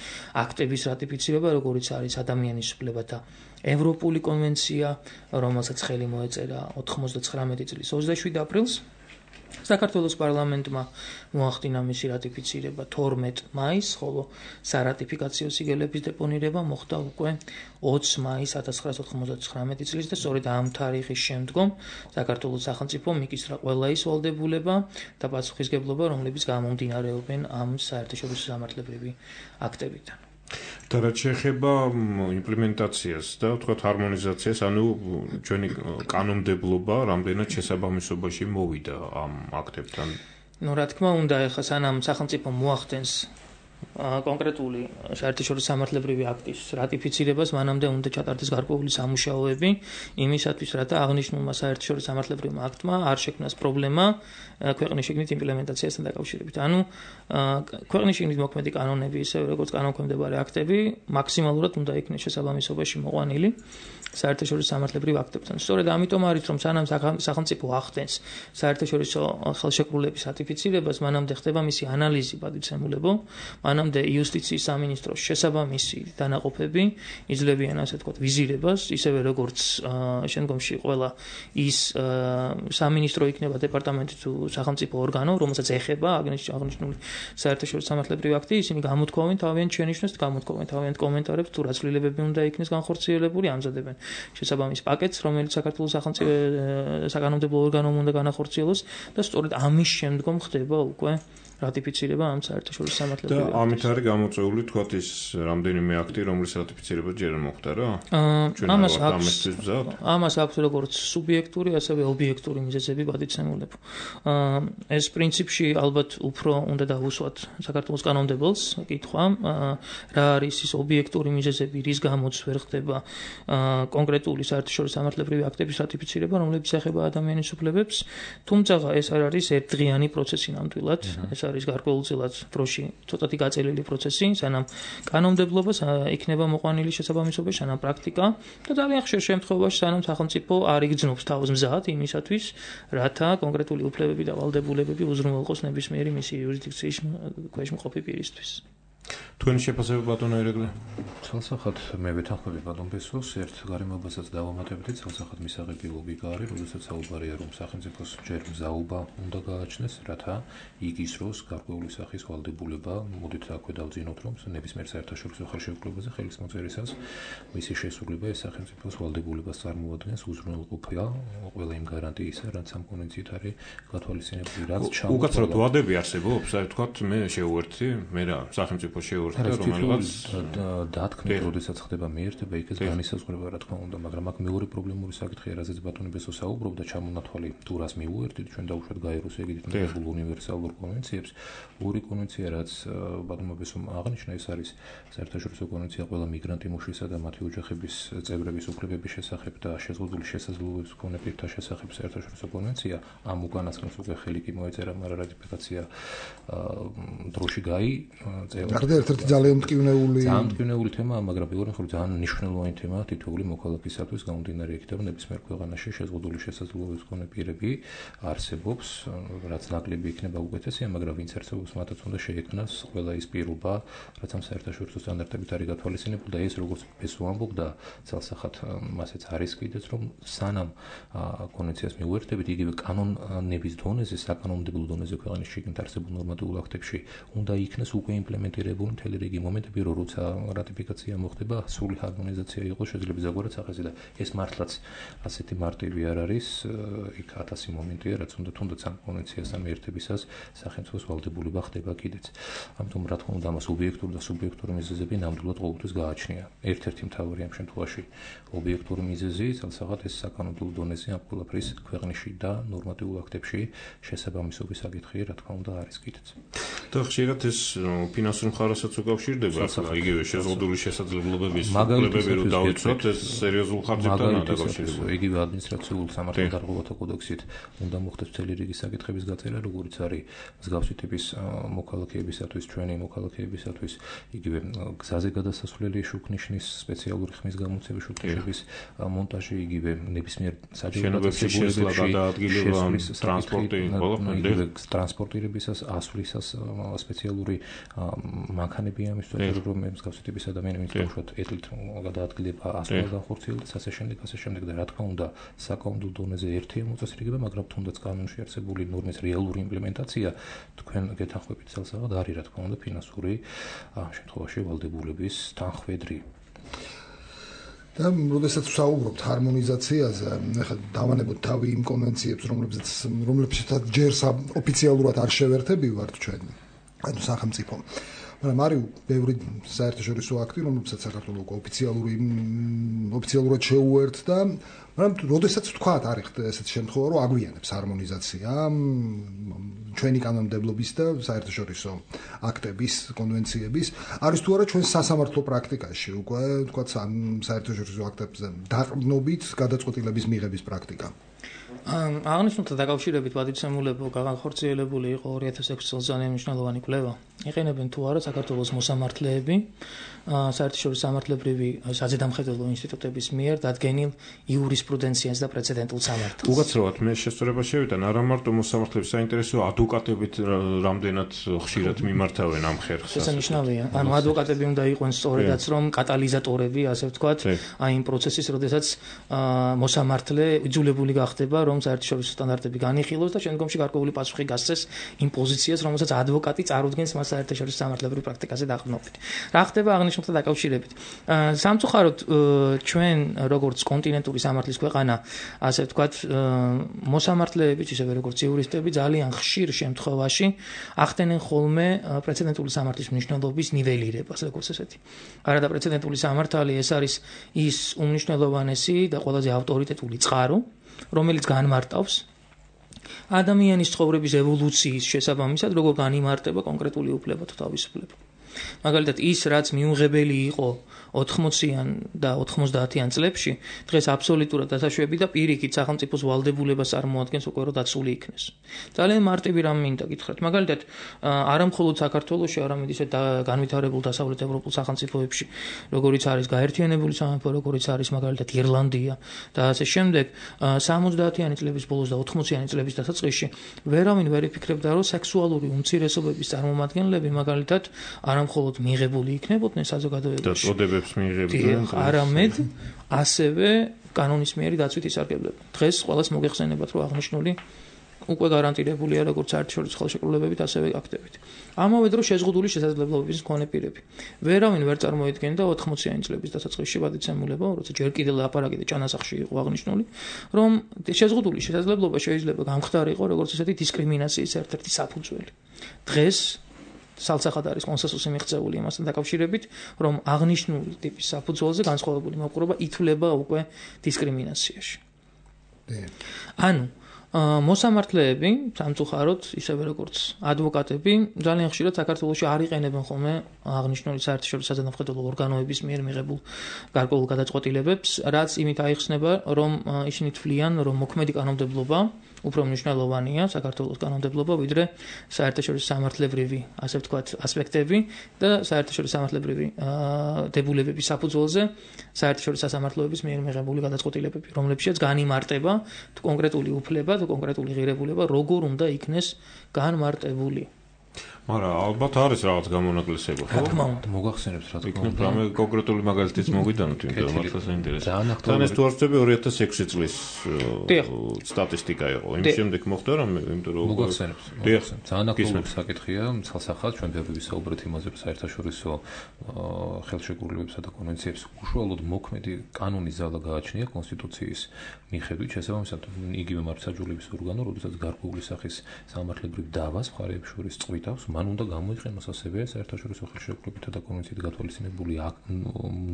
აქტების რატიფიცირება, როგორიც არის ადამიანის უფლებათა ევროპული კონვენცია, რომელსაც ხელი მოეწერა ოთხმოცდათხრამეტი წლის ოცდაშვიდ აპრილს. საქართველოს პარლამენტმა მოახდინა მისი რატიფიცირება თორმეტ მაისს, ხოლო სარატიფიკაციო სიგელების დეპონირება მოხდა უკვე ოცი მაისს ათას ცხრაასა ოთხმოცდათხრამეტი წლის და სწორედ ამ თარიღის შემდგომ საქართველოს სახელმწიფომ მიკისრა ყველა ის ვალდებულება და პასუხისგებლობა, რომლებიც გამომდინარეობენ ამ საერთაშორისო სამართლებრივი აქტებიდან. და რაც შეეხება იმპლემენტაციას და ვთქვათ ჰარმონიზაციას, ანუ ჩვენი კანონმდებლობა რამდენად შესაბამისობაში მოვიდა ამ აქტებთან. ნუ რა თქმა უნდა, ეხლა სანამ სახელმწიფო მოახდენს კონკრეტული საერთაშორისო სამართლებრივი აქტის რატიფიცირებას, მანამდე უნდა ჩატარდეს გარკვეული სამუშაოები იმისათვის, რათა აღნიშნულმა საერთაშორისო სამართლებრივმა აქტმა არ შექმნას პრობლემა ქვეყნის შიგნით იმპლემენტაციასთან დაკავშირებით. ანუ ქვეყნის შიგნით მოქმედი კანონები, ისე როგორც კანონქვემდებარე აქტები, მაქსიმალურად უნდა იქნეს შესაბამისობაში მოყვანილი საერთაშორისო სამართლებრივ აქტებთან. სწორედ ამიტომ არის, რომ სანამ სახელმწიფო ახდენს საერთაშორისო ხელშეკრულების რატიფიცირებას, მანამდე ხდება მისი ანალიზი, პატივცემულებო, მანამდე იუსტიციის სამინისტროს შესაბამისი დანაყოფები იძლევიან, ასე ვთქვათ, ვიზირებას, ისევე როგორც შემდგომში ყველა ის სამინისტრო იქნება დეპარტამენტი თუ სახელმწიფო ორგანო, რომელსაც ეხება აღნიშნული საერთაშორისო სამართლებრივი აქტი, ისინი გამოთქვამენ თავიანთ შენიშვნებს, გამოთქვამენ თავიანთ კომენტარებს, თუ რა ცვლილებები უნდა იქნეს განხორციელებული, ამზადებენ შესაბამის პაკეტს, რომელიც საქართველოს სახელმწიფო საკანონმდებლო ორგანომ უნდა განახორციელოს და სწორედ ამის შემდგომ ხდება უკვე რატიფიცირება ამ საერთაშორისო სამართლებრივი აქტის. და ამით არის გამოწვეული თქვათ ის რამდენიმე აქტი, რომლის რატიფიცირება ჯერ არ მოხდა რა? ამას აქვს ამას აქვს როგორც სუბიექტური, ასევე ობიექტური მიზეზები პატივცემულებო. ეს პრინციპში ალბათ უფრო უნდა დავუსვათ საქართველოს კანონმდებელს კითხვა, რა არის ის ობიექტური მიზეზები, რის გამოც ვერ ხდება კონკრეტული საერთაშორისო სამართლებრივი აქტების რატიფიცირება, რომლებიც ეხება ადამიანის უფლებებს, თუმცა ეს არ არის ერთდღიანი პროცესი ნამდვილად. ეს არის გარკვეულწილად დროში ცოტათი გაწელილი პროცესი, სანამ კანონმდებლობა იქნება მოყვანილი შესაბამისობაში, სანამ პრაქტიკა და ძალიან ხშირ შემთხვევაში სანამ სახელმწიფო არ იგრძნობს თავს მზად იმისათვის, რათა კონკრეტული უფლებები და ვალდებულებები უზრუნველყოს ნებისმიერი მისი იურისდიქციის ქვეშ მყოფი პირისთვის. თქვენი შეფასება ბატონო ერეკლე? ცალსახად მე ვეთანხმები ბატონ ბესოს, ერთ გარემოებასაც დავამატებდით, ცალსახად მისაღები ლოგიკა არის, როდესაც საუბარია, რომ სახელმწიფოს ჯერ მზაობა უნდა გააჩნდეს, რათა იგისროს გარკვეული სახის ვალდებულება, მოდით აქვე დავძინოთ, რომ ნებისმიერ საერთაშორისო ხელშეკრულებაზე ხელის მოწერისას მისი შესრულება ეს სახელმწიფოს ვალდებულებას წარმოადგენს, უზრუნველყოფა ყველა იმ გარანტიისა, რაც ამ კონვენციით არის გათვალისწინებული, რაც ჩამოყალიბდა. უკაცრავად ვადები არსებობს, აი თქვათ მე შევუერთდი, მე რა სახელმწიფო შეუერთდა, რომელიღაც დათქმით, როდესაც ხდება მიერთება, იქაც განისაზღვრება, რა თქმა უნდა, მაგრამ აქ მეორე პრობლემური საკითხია, რაზეც ბატონი ბესო საუბრობდა, ჩამონათვალი თუ რას მიუერთდით, ჩვენ დავუშვათ გაეროს ეგრეთ მიღებულ უნივერსალურ კონვენციებს. ორი კონვენცია, რაც ბატონმა ბესომ აღნიშნა, ეს არის საერთაშორისო კონვენცია ყველა მიგრანტი მუშისა და მათი ოჯახების წევრების უფლებების შესახებ და შეზღუდული შესაძლებლობების მქონე პირთა შესახებ საერთაშორისო კონვენცია. ამ უკანასკნელს უკვე ხელი კი მოეწერა, მაგრამ რატიფიკაცია დროში გაი გარდა ერთ-ერთ ერთ-ერთი ძალიან მტკივნეული ძალიან მტკივნეული თემაა, მაგრამ პირველი მხრივ ძალიან მნიშვნელოვანი თემაა თითოეული მოქალაქისათვის, გამომდინარე იქიდან ნებისმიერ ქვეყანაში შეზღუდული შესაძლებლობის მქონე პირები არსებობს, რაც ნაკლები იქნება უკეთესია, მაგრამ ვინც არსებობს, მათაც უნდა შეექმნას ყველა ის პირობა, რაც ამ საერთაშორისო სტანდარტებით არის გათვალისწინებული და ეს როგორც ეს ვამბობდა, ძალსახად მასეც არის კიდეც, რომ სანამ კონვენციას მიუერთდებით, იგივე კანონების დონეზე, საკანონმდებლო დონეზე ქვეყნის შიგნით არსებულ ნორმატიულ აქტებში უნდა იქნას უკვე იმპლემენტირებული მთელი რიგი მომენტები, რომ როცა რატიფიკაცია მოხდება, სრული ჰარმონიზაცია იყოს, შეიძლება ზოგადად სახეზე და ეს მართლაც ასეთი მარტივი არ არის, იქ ათასი მომენტია, რაც უნდა თუნდაც ამ კონვენციასთან მიერთებისას სახელმწიფოს ვალდებულება ხდება კიდეც. ამიტომ რა თქმა უნდა, ამას ობიექტური და სუბიექტური მიზეზები ნამდვილად ყოველთვის გააჩნია. ერთ-ერთი მთავარი ამ შემთხვევაში ობიექტური მიზეზი, ძალსაღად ეს საკანონმდებლო დონეზე ამ ყველაფრის ქვეყნში და ნორმატიულ აქტებში შესაბამისობის საკითხი, რა თქმა უნდა, არის კიდეც. და ხშირად ეს ფინანსურ მხარესაც უკავშირდება, იგივე შეზღუდული შესაძლებლობების უფლებები რომ დაუცვათ, ეს სერიოზულ ხარჯებთანაა დაკავშირებული. იგივე ადმინისტრაციულ სამართალდარღვევათა კოდექსით უნდა მოხდეს მთელი რიგი საკითხების გაწერა, როგორც არის მსგავსი ტიპის მოქალაქეებისათვის, ჩვენი მოქალაქეებისათვის, იგივე გზაზე გადასასვლელი შუქნიშნის სპეციალური ხმის გამოცემის შუქნიშნების მონტაჟი, იგივე ნებისმიერ საჯარო გადაადგილება, ტრანსპორტი, იგივე ტრანსპორტირებისას, ასვლისას სპეციალური მანქანები ამისთვის, რომ მსგავსი ტიპის ადამიანები თვითონ ეთლით გადაადგილება, ასვლა განხორციელდეს, ასე შემდეგ, ასე შემდეგ და რა თქმა უნდა, საკანონმდებლო დონეზე ერთია მოწესრიგება, მაგრამ თუნდაც კანონში არსებული ნორმის რეალური იმპლემენტაცია თქვენ გეთანხმებით ძალსაღად არის, რა თქმა უნდა, ფინანსური ამ შემთხვევაში ვალდებულების თანხვედრი. და როდესაც ვსაუბრობთ ჰარმონიზაციაზე, ახლა დავანებოთ თავი იმ კონვენციებს, რომლებზეც რომლებსაც ჯერ ოფიციალურად არ შევერთებივართ ჩვენ, ანუ სახელმწიფო. მაგრამ არის ბევრი საერთაშორისო აქტი, რომლებსაც საქართველოს უკვე ოფიციალური ოფიციალურად შეუერთდა, მაგრამ როდესაც თქვათ არის ესეთი შემთხვევა, რომ აგვიანებს ჰარმონიზაცია ჩვენი კანონმდებლობის და საერთაშორისო აქტების, კონვენციების, არის თუ არა ჩვენ სასამართლო პრაქტიკაში, უკვე თქვათ საერთაშორისო აქტებზე დაყრდნობით გადაწყვეტილების მიღების პრაქტიკა. აღნიშნულთან დაკავშირებით პატივცემულებო განხორციელებული იყო ორი ათას ექვსი წელს ძალიან მნიშვნელოვანი კვლევა. იყენებენ თუ არა საქართველოს მოსამართლეები საერთაშორისო სამართლებრივი საზედამხედველო ინსტიტუტების მიერ დადგენილ იურისპრუდენციას და პრეცედენტულ სამართალს. უკაცრავად მე შესწორება შევიდა, არა მარტო მოსამართლეების საინტერესოა, ადვოკატებით რამდენად ხშირად მიმართავენ ამ ხერხს. ეს ნიშნავია. ანუ ადვოკატები უნდა იყვნენ სწორედაც რომ კატალიზატორები, ასე ვთქვათ, აი იმ პროცესის, როდესაც მოსამართლე იძულებული გახდება, რომ საერთაშორისო სტანდარტები განიხილოს და შემდგომში გარკვეული პასუხი გასცეს იმ პოზიციას, რომელსაც ადვოკატი წარუდგენს მას საერთაშორისო სამართლებრივ პრაქტიკაზე დაყრდნობით. რა ხდება აღნიშნულთან დაკავშირებით? სამწუხაროდ ჩვენ როგორც კონტინენტური სამართლის ქვეყანა, ასე ვთქვათ, მოსამართლეებიც ისევე როგორც იურისტები ძალიან ხშირ შემთხვევაში ახდენენ ხოლმე პრეცედენტული სამართლის მნიშვნელობის ნიველირებას, როგორც ესეთი. არა და პრეცედენტული სამართალი ეს არის ის უმნიშვნელოვანესი და ყველაზე ავტორიტეტული წყარო, რომელიც განმარტავს ადამიანის ცხოვრების ევოლუციის შესაბამისად, როგორ განიმარტება კონკრეტული უფლება თუ თავისუფლება. მაგალითად, ის რაც მიუღებელი იყო ოთხმოციან და ოთხმოცდაათიან წლებში, დღეს აბსოლუტურად დასაშვები და პირიქით სახელმწიფოს ვალდებულებას წარმოადგენს უკვე რომ დაცული იქნეს. ძალიან მარტივი რამ მინდა გითხრათ. მაგალითად, არა მხოლოდ საქართველოში, არამედ ისე განვითარებულ დასავლეთ ევროპულ სახელმწიფოებში, როგორიც არის გაერთიანებული სამეფო, როგორიც არის მაგალითად ირლანდია და ასე შემდეგ, სამოცდაათიანი წლების ბოლოს და ოთხმოციანი წლების დასაწყისში ვერავინ ვერ იფიქრებდა, რომ სექსუალური უმცირესობების წარმომადგენლები მაგალითად არა მხოლოდ მიღებული იქნებოდნენ საზოგადოებაში, არამედ ასევე კანონის მიერი დაცვით ისარგებლებენ. დღეს ყველას მოგეხსენებათ, რომ აღნიშნული უკვე გარანტირებულია როგორც საერთაშორისო ხელშეკრულებებით, ასევე აქტებით. ამავე დროს შეზღუდული შესაძლებლობების მქონე პირები. ვერავინ ვერ წარმოედგენდა ოთხმოციანი წლების დასაწყისში პატივცემულება, როცა ჯერ კიდევ ლაპარაკი და ճანასახში იყო აღნიშნული, რომ შეზღუდული შესაძლებლობა შეიძლება გამხდარიყო როგორც ესეთი დისკრიმინაციის ერთ-ერთი საფუძველი. დღეს სალცახად არის კონსენსუსი მიღწეული იმასთან დაკავშირებით, რომ აღნიშნული ტიპის საფუძველზე განსხვავებული მოპყრობა ითვლება უკვე დისკრიმინაციაში. ანუ მოსამართლეები სამწუხაროდ ისევე როგორც ადვოკატები ძალიან ხშირად საქართველოში არ იყენებენ ხოლმე აღნიშნული საერთაშორისო საზანავხედველო ორგანოების მიერ მიღებულ გარკვეულ გადაწყვეტილებებს, რაც იმით აიხსნება, რომ ისინი თვლიან, რომ მოქმედი კანონმდებლობა უფრო მნიშვნელოვანია საქართველოს კანონმდებლობა, ვიდრე საერთაშორისო სამართლებრივი, ასე ვთქვათ, ასპექტები და საერთაშორისო სამართლებრივი დებულებების საფუძველზე საერთაშორისო სასამართლოების მიერ მიღებული გადაწყვეტილებები, რომლებშიც განიმარტება თუ კონკრეტული უფლება, თუ კონკრეტული ღირებულება როგორ უნდა იქნეს განმარტებული. მაგრამ ალბათ არის რაღაც გამონაკლისება, ხო? მოგახსენებთ რა თქმა უნდა. რამე კონკრეტული მაგალითიც მოგიდანოთ, იმიტომ რომ მართლაც ინტერესია. თან ეს თუ არ ვწდები ორი ათას ექვსი წლის სტატისტიკა იყო. იმ შემდეგ მოხდა რომ იმიტომ რომ მოგახსენებთ. მოგახსენებთ. ძალიან აქტუალური საკითხია, ცალსახად ჩვენ ბევრი ვისაუბრეთ იმაზე, რომ საერთაშორისო ხელშეკრულებებსა და კონვენციებს უშუალოდ მოქმედი კანონის ზალა გააჩნია კონსტიტუციის მიხედვით, შესაბამისად იგივე მართლმსაჯულების ორგანო, როდესაც გარკვეული სახის სამართლებრივ დავას მხარეებს შორის წვითავს, მან უნდა გამოიყენოს ასევე საერთაშორისო ხელშეკრულებითა და კონვენციით გათვალისწინებული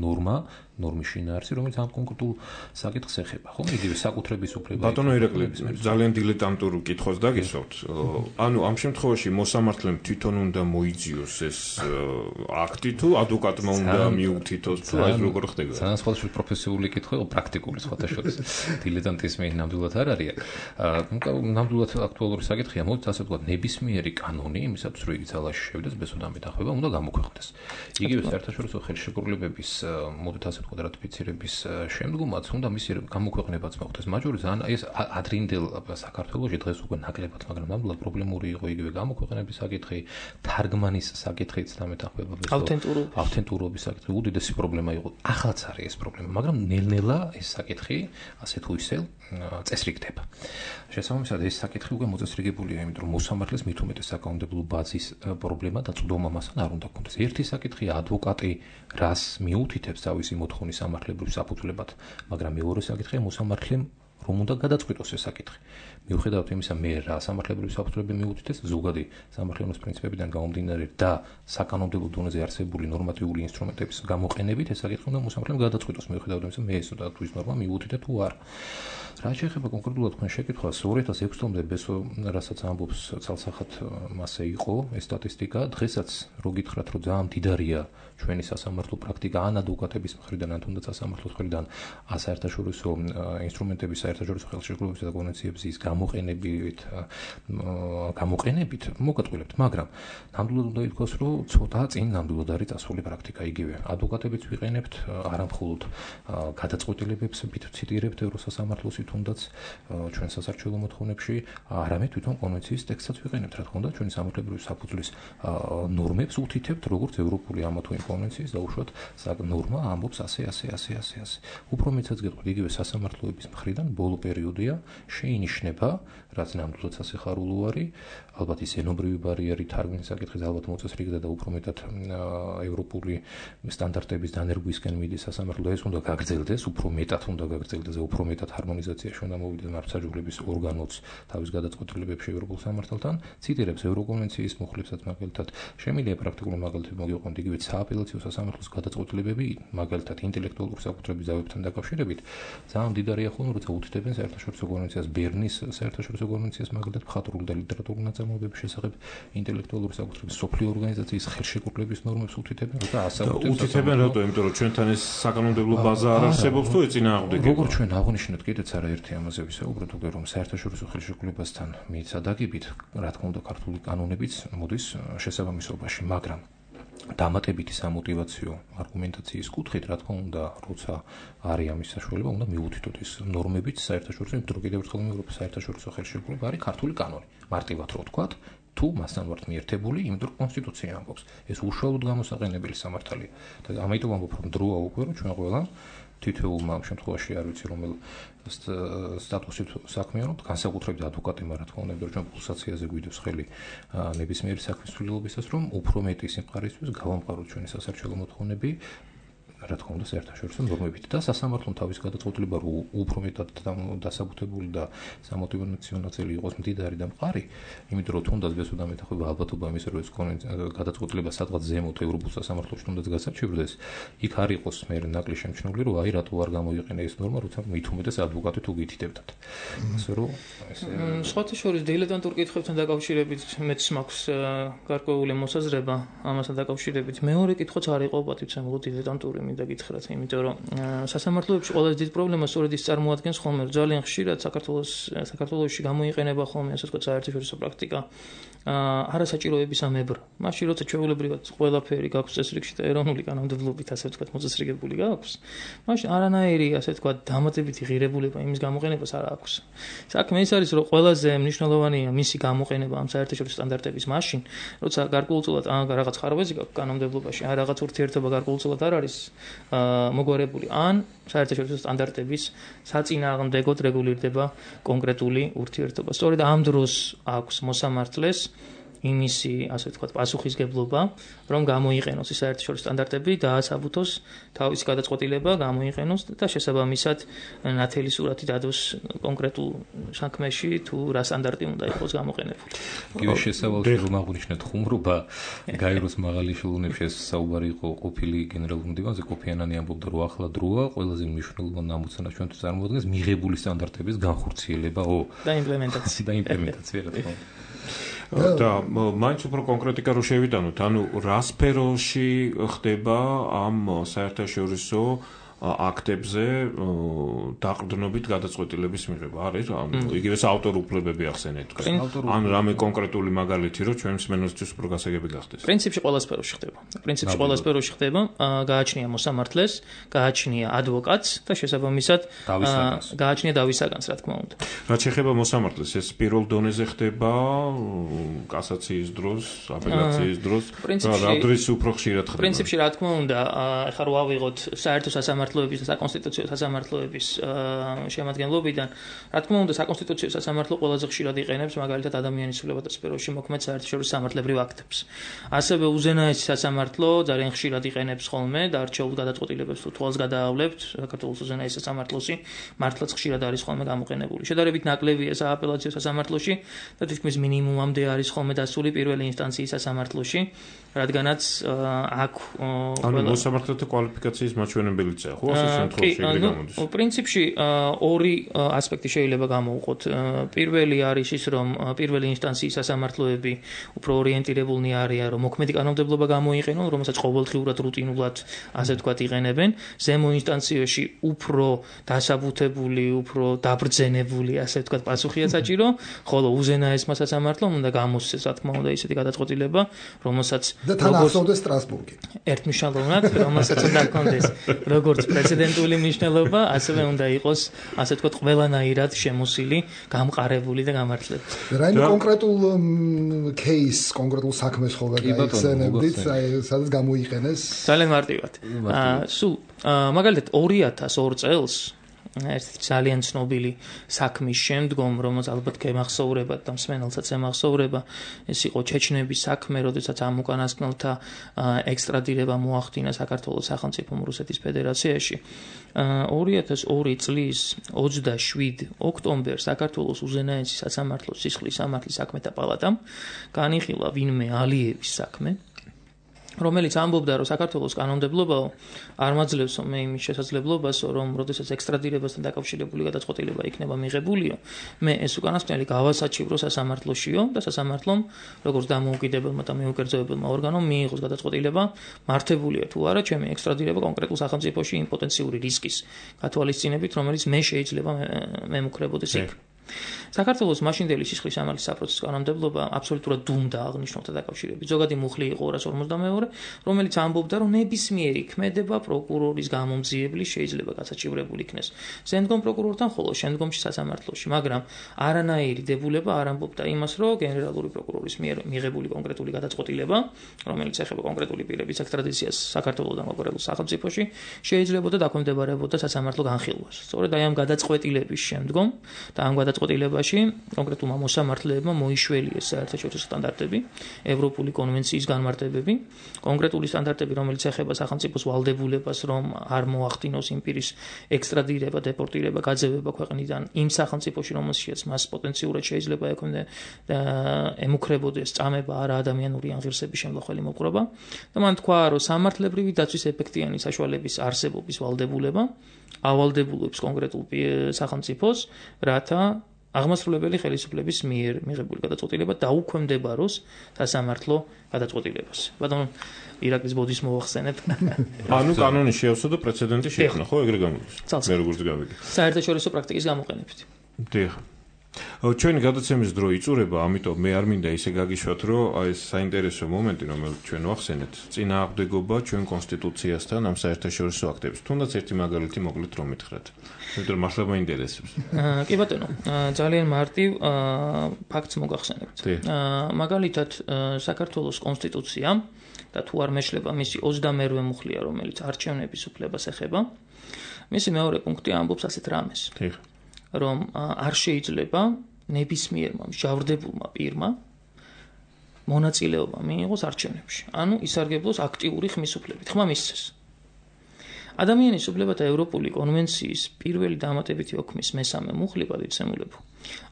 ნორმა, ნორმის შინაარსი, რომელიც ამ კონკრეტულ საკითხს ეხება, ხო? იგივე საკუთრების უფლება. ბატონო ირაკლი, ძალიან დილეტანტურ კითხვას დაგისვათ. ანუ ამ შემთხვევაში მოსამართლემ თვითონ უნდა მოიძიოს ეს აქტი თუ ადვოკატმა უნდა მიუთითოს თუ აი როგორ ხდება? ძალიან სხვადასხვა პროფესიული კითხვა, პრაქტიკული სხვათა შორის. დილეტანტიზმი ნამდვილად არ არის. ნამდვილად აქტუალური საკითხია, მოდით ასე ვთქვათ, ნებისმიერი კანონი იმისათვის რომ იგი ძალაში შევიდეს, ბესოდამი დახება, უნდა გამოქვეყნდეს. იგივე საერთაშორისო ხელშეკრულებების, მოდით ასე ვთქვათ, რატიფიცირების შემდგომაც უნდა მისი გამოქვეყნებაც მოხდეს. მაჯორი ძალიან ეს ადრინდელ საქართველოში დღეს უკვე ნაკლებად, მაგრამ ნამდვილად პრობლემური იყო იგივე გამოქვეყნების საკითხი, თარგმანის საკითხიც დამეთახმება ავთენტურობის ავთენტურობის საკითხი უდიდესი პრობლემა იყო. ახალაც არის ეს პრობლემა, მაგრამ ნელ-ნელა ეს საკითხი ასე თუ ისე წესრიგდება. შესაბამისად ეს საკითხი უკვე მოწესრიგებულია, იმიტომ რომ მოსამართლეს მით უმეტეს საკანონმდებლო ბაზის პრობლემა და წვდომა მასთან არ უნდა გქონდეს. ერთი საკითხია ადვოკატი რას მიუთითებს თავისი მოთხოვნის სამართლებრივ საფუძვლებად, მაგრამ მეორე საკითხია მოსამართლემ რომ უნდა გადაწყვიტოს ეს საკითხი. მიუხედავად იმისა, მე რა სამართლებრივი საფუძვლები მიუთითეს ზოგადი სამართლებრივი პრინციპებიდან გამომდინარე და საკანონმდებლო დონეზე არსებული ნორმატიული ინსტრუმენტების გამოყენებით ეს საკითხი უნდა მოსამართლემ გადაწყვიტოს. მიუხედავად იმისა, მე ეს და თუ ის ნორმა მიუთითებ თუ არა. რა შეეხება კონკრეტულად თქვენ შეკითხვას, ორი ათას ექვსი წლამდე ბესო რასაც ამბობს ცალსახად მასე იყო ეს სტატისტიკა, დღესაც რო გითხრათ, რომ ძალიან მდიდარია ჩვენი სასამართლო პრაქტიკა ან ადვოკატების მხრიდან, ან თუნდაც სასამართლოს მხრიდან საერთაშორისო ინსტრუმენტების, საერთაშორისო ხელშეკრულებებისა და კონვენციების გამოყენებით, გამოყენებით მოგატყულებთ, მაგრამ ნამდვილად უნდა ითქვას, რომ ცოტა წინ ნამდვილად არის წასული პრაქტიკა იგივე. ადვოკატებიც ვიყენებთ, არა მხოლოდ გადაწყვეტილებებს ვციტირებთ ევროსასამართლოსი თუნდაც ჩვენ სასარჩეულო მოთხოვნებში, არამედ თვითონ კონვენციის ტექსტსაც ვიყენებთ, რა თქმა უნდა, ჩვენი სამართლებრივი საფუძვლის ნორმებს უთითებთ, როგორც ევროპული ამა თუ იმ კონვენციის და უშუალოდ ნორმა ამბობს ასე, ასე, ასე, ასე, ასე. უფრო მეცაც გეტყვით, იგივე სასამართლოების მხრიდან ბოლო პერიოდია შეინიშნება, რაც ნამდვილად სასიხარულო არის, ალბათ ის ენობრივი ბარიერი თარგმნის საკითხიც ალბათ მოწესრიგდა და უფრო მეტად ევროპული სტანდარტების დანერგვისკენ მიდის სასამართლო, ეს უნდა გაგრძელდეს, უფრო მეტად უნდა გაგრძელდეს, უფრო მეტად ჰარმონიზაციაში უნდა მოვიდეს მართლმსაჯულების ორგანოც თავის გადაწყვეტილებებში ევროპულ სამართალთან, ციტირებს ევროკონვენციის მუხლებსაც მაგალითად, შემიძლია პრაქტიკული მაგალითები მოგიყვანოთ, იგივე სააპელაციო სასამართლოს გადაწყვეტილებები, მაგალითად ინტელექტუალური საკუთრების ზავებთან დაკავშირებით, ძალიან მდიდარია ხოლმე, როცა უთითებენ საერთაშორისო კონვენციას, ბერნის საერთაშორისო კონვენციას, მაგალითად მხატვრული და ლიტერატურული ნაწარმოებების შესახებ ინტელექტუალური საკუთრების სოფლიო ორგანიზაციის ხელშეკრულების ნორმებს უთითებენ, როცა ასაუბრებს უთითებენ რატო, იმიტომ რომ ჩვენთან ეს საკანონმდებლო ბაზა არ არსებობს თუ ეწინააღმდეგება. როგორც ჩვენ აღნიშნეთ, კიდეც არაერთი ამაზე ვისაუბრეთ, უკვე რომ საერთაშორისო ხელშეკრულებასთან მიცადაგებით, რა თქმა უნდა, ქართული კანონებიც მოდის შესაბამისობაში, მაგრამ დამატებითი სამოტივაციო არგუმენტაციის კუთხით, რა თქმა უნდა, როცა არის ამის საშუალება, უნდა მიუთითოთ ის ნორმებიც საერთაშორისო, იმიტომ რომ კიდევ ერთხელ ევროპის საერთაშორისო ხელშეკრულება არის ქართული კანონი. მარტივად რო ვთქვათ, თუ მასთან ვართ მიერთებული, იმიტომ რომ კონსტიტუცია ამბობს, ეს უშუალოდ გამოსაყენებელი სამართალია. და ამიტომ ამბობ, რომ დროა უკვე, რომ ჩვენ ყველა თითოეულმა ამ შემთხვევაში არ ვიცი რომელ სტატუსით საქმიანობთ, განსაკუთრებით ადვოკატებმა, რა თქმა უნდა, იმიტომ რომ ჩვენ პულსაციაზე გვიდევს ხელი ნებისმიერი საქმის ცვლილობისას, რომ უფრო მეტი სიმყარისთვის გავამყაროთ ჩვენი სასარჩელო მოთხოვნები, რა თქმა უნდა, საერთაშორისო ნორმებით და სასამართლომ თავის გადაწყვეტილება რო უფრო მეტად დასაბუთებული და სამოტივაციო ნაწილი იყოს მდიდარი და მყარი, იმიტომ რომ თუნდაც ბესოდა მეტახება ალბათობა იმის რომ ეს გადაწყვეტილება სადღაც ზემოთ ევროპულ სასამართლოში თუნდაც გასაჩივრდეს, იქ არ იყოს მე ნაკლი შემჩნეული, რომ აი რატო არ გამოიყენა ეს ნორმა, როცა მით უმეტეს ადვოკატი თუ გითითებდათ. ასე რომ ესე სხვათა შორის დილეტანტურ კითხვებთან დაკავშირებით მეც მაქვს გარკვეული მოსაზრება ამასთან დაკავშირებით. მეორე კითხვაც არ იყო პატივცემულო დილეტანტური მინდა გითხრათ, იმიტომ რომ სასამართლოებში ყველაზე დიდი პრობლემა სწორედ ის წარმოადგენს ხოლმე, რომ ძალიან ხშირად საქართველოს საქართველოში გამოიყენება ხოლმე ასე ვთქვათ საერთაშორისო პრაქტიკა არასაჭიროების ამებრ. მაშინ როცა ჩვეულებრივად ყველაფერი გაქვს წესრიგში და ეროვნული კანონმდებლობით ასე ვთქვათ მოწესრიგებული გაქვს, მაშინ არანაირი ასე ვთქვათ დამატებითი ღირებულება იმის გამოყენებას არ აქვს. საქმე ის არის, რომ ყველაზე მნიშვნელოვანია მისი გამოყენება ამ საერთაშორისო სტანდარტების მაშინ, როცა გარკვეულწილად ან რაღაც ხარვეზი გაქვს კანონმდებლობაში, ან რაღაც ურთიერთობა გარკვეულწილად არ არის მოგვარებული, ან საერთაშორისო სტანდარტების საწინააღმდეგოდ რეგულირდება კონკრეტული ურთიერთობა. სწორედ ამ დროს აქვს მოსამართლეს იმისი, ასე ვთქვათ, პასუხისგებლობა, რომ გამოიყენოს ის საერთაშორისო სტანდარტები და აასაბუთოს თავისი გადაწყვეტილება, გამოიყენოს და შესაბამისად ნათელი სურათი დადოს კონკრეტულ საქმეში თუ რა სტანდარტი უნდა იყოს გამოყენებული. იგივე შესავალში რომ აღნიშნეთ ხუმრობა, გაეროს მაღალი ешელონებში ეს საუბარი იყო ყოფილი გენერალური მდივანზე კოფიანანი ამბობდა, რომ ახლა დროა ყველაზე მნიშვნელოვანი ამოცანა ჩვენთვის წარმოადგენს მიღებული სტანდარტების განხორციელებაო და იმპლემენტაცია და იმპლემენტაცია რა თქმა უნდა. და მაინც უფრო კონკრეტიკა რო შევიტანოთ, ანუ რა სფეროში ხდება ამ საერთაშორისო აქტებზე დაყრდნობით გადაწყვეტილების მიღება არის? იგივე ავტორ უფლებები ახსენეთ. ან რამე კონკრეტული მაგალითი, რომ ჩვენ მსმენელისთვის უფრო გასაგები გახდეს. პრინციპში ყველა სფეროში ხდება. პრინციპში ყველა სფეროში ხდება, გააჩნია მოსამართლეს, გააჩნია ადვოკატს და შესაბამისად გააჩნია დავისაგანს, რა თქმა უნდა. რაც შეეხება მოსამართლეს, ეს პირველ დონეზე ხდება კასაციის დროს, აპელაციის დროს, რა დრის უფრო ხშირად ხდება? პრინციპში რა თქმა უნდა, ახლა რო ავიღოთ საერთო სასამართლოების და საკონსტიტუციო სასამართლოების შემადგენლობიდან, რა თქმა უნდა, საკონსტიტუციო სასამართლო ყველაზე ხშირად იყენებს მაგალითად ადამიანის სულებათა სფეროში მოქმედ საერთაშორისო სამართლებრივ აქტებს. ასევე უზენაესი სასამართლო ძალიან ხშირად იყენებს ხოლმე და არჩეულ გადაწყვეტილებებს თუ თვალს გადაავლებთ, საქართველოს უზენაეს სასამართლოში მართლაც ხშირად არის ხოლმე გამოყენებული. შედარებით ნაკლებია სააპელაციო სასამართლოში და თითქმის მინიმუმამდე არის ხოლმე დასული პირველი ინსტანციის სასამართლოში, რადგანაც აქ ანუ მოსამართლეთა კვალიფიკაციის მაჩვენებელია, ხო, ასე შემთხვევაში ეგრე გამოდის. პრინციპში ორი ასპექტი შეიძლება გამოვყოთ. პირველი არის ის, რომ პირველი ინსტანციის სასამართლოები უფრო ორიენტირებულნი არიან, რომ მოქმედი კანონმდებლობა გამოიყენონ, რომელსაც ყოველდღიურად რუტინულად, ასე ვთქვათ, იყენებენ. ზემო ინსტანციაში უფრო დასაბუთებული, უფრო დაბრძენებული, ასე ვთქვათ, პასუხია საჭირო, ხოლო უზენაესმა სასამართლომ უნდა გამოსცეს, რა თქმა უნდა, ისეთი გადაწყვეტილება, რომელსაც და თან ახსოვდეს სტრასბურგი. ერთმნიშვნელოვნად, რომელსაც უნდა ჰქონდეს როგორც პრეცედენტული მნიშვნელობა, ასევე უნდა იყოს, ასე ვთქვათ, ყველანაირად შემოსილი, გამყარებული და გამართლებული. რაიმე კონკრეტულ кейს, კონკრეტულ საქმეს ხოლმე გაიხსენებდით, სადაც გამოიყენეს? ძალიან მარტივად. სულ მაგალითად ორი ათას ორ წელს ერთი ძალიან ცნობილი საქმის შემდგომ, რომელსაც ალბათ გემახსოვრებათ და მსმენელსაც ემახსოვრება, ეს იყო ჩეჩნების საქმე, როდესაც ამ უკანასკნელთა ექსტრადირება მოახდინა საქართველოს სახელმწიფომ რუსეთის ფედერაციაში. ორი ათას ორი წლის ოცდაშვიდი ოქტომბერს საქართველოს უზენაესი სასამართლოს სისხლის სამართლის საქმეთა პალატამ განიხილა ვინმე ალიევის საქმე, რომელიც ამბობდა, რომ საქართველოს კანონმდებლობაო არ მაძლევსო მე იმის შესაძლებლობასო, რომ როდესაც ექსტრადირებასთან დაკავშირებული გადაწყვეტილება იქნება მიღებულიო, მე ეს უკანასკნელი გავასაჩივრო სასამართლოშიო და სასამართლომ, როგორც დამოუკიდებელმა და მეუკერძოებელმა ორგანომ მიიღოს გადაწყვეტილება, მართებულია თუ არა ჩემი ექსტრადირება კონკრეტულ სახელმწიფოში იმ პოტენციური რისკის გათვალისწინებით, რომელიც მე შეიძლება მემუქრებოდეს იქ. საქართველოს მაშინდელი სისხლის სამართლის საპროცესო კანონმდებლობა აბსოლუტურად დუმდა აღნიშნულთა დაკავშირებით. ზოგადი მუხლი იყო ორას ორმოცდამეორე, რომელიც ამბობდა, რომ ნებისმიერი ქმედება პროკურორის გამომძიებლის შეიძლება გასაჩივრებული იქნეს ზემდგომ პროკურორთან, ხოლო შემდგომში სასამართლოში, მაგრამ არანაირი დებულება არ ამბობდა იმას, რომ გენერალური პროკურორის მიერ მიღებული კონკრეტული გადაწყვეტილება, რომელიც ეხება კონკრეტული პირების ექსტრადიციას საქართველოსთან კონკრეტულ სახელმწიფოში, შეიძლება დაქვემდებარებოდა სასამართლო განხილვას. სწორედ აი ამ გადაწყვეტილების შემდგომ და ამ გადაწყვეტილებაში კონკრეტულმა მოსამართლეებმა მოიშველიეს საერთაშორისო სტანდარტები, ევროპული კონვენციის განმარტებები, კონკრეტული სტანდარტები, რომელიც ეხება სახელმწიფოს ვალდებულებას, რომ არ მოახდინოს იმ პირის ექსტრადირება, დეპორტირება, გაძევება ქვეყნიდან იმ სახელმწიფოში, რომელშიც მას პოტენციურად შეიძლება ემუქრებოდეს წამება არა ადამიანური აღირსების შემოხველი მოპყრობა და მან თქვა, რომ სამართლებრივი დაცვის ეფექტიანი საშუალების არსებობის ვალდებულება ავალდებულებს კონკრეტულ სახელმწიფოს, რათა აღმასრულებელი ხელისუფლების მიერ მიღებული გადაწყვეტილება დაუქვემდებაროს სასამართლო გადაწყვეტილებას. ბატონო, ირაკლის ბოდის მოახსენეთ. ანუ კანონი შეავსო და პრეცედენტი შექმნა, ხო, ეგრე გამოდის. მე როგორც გავიგე. საერთაშორისო პრაქტიკის გამოყენებით. დიახ. ჩვენი გადაცემის დრო იწურება, ამიტომ მე არ მინდა ისე გაგიშვათ, რომ აი ეს საინტერესო მომენტი, რომელიც ჩვენ ვახსენეთ, წინააღმდეგობა ჩვენ კონსტიტუციასთან ამ საერთაშორისო აქტებს. თუნდაც ერთი მაგალითი მოკლედ რომ მითხრათ. იმიტომ მართლა მაინტერესებს. კი ბატონო, ძალიან მარტივ ფაქტს მოგახსენებთ. მაგალითად, საქართველოს კონსტიტუცია და თუ არ მეშლება მისი ოცდამერვე მუხლია, რომელიც არჩევნების უფლებას ეხება, მისი მეორე პუნქტი ამბობს ასეთ რამეს. დიახ. რომ არ შეიძლება ნებისმიერმა მსჯავრდებულმა პირმა მონაწილეობა მიიღოს არჩევნებში. ანუ ისარგებლოს აქტიური ხმისუფლებით. ხმა მისცეს. ადამიანის უფლებათა ევროპული კონვენციის პირველი დამატებითი ოქმის მესამე მუხლი პატივცემულებო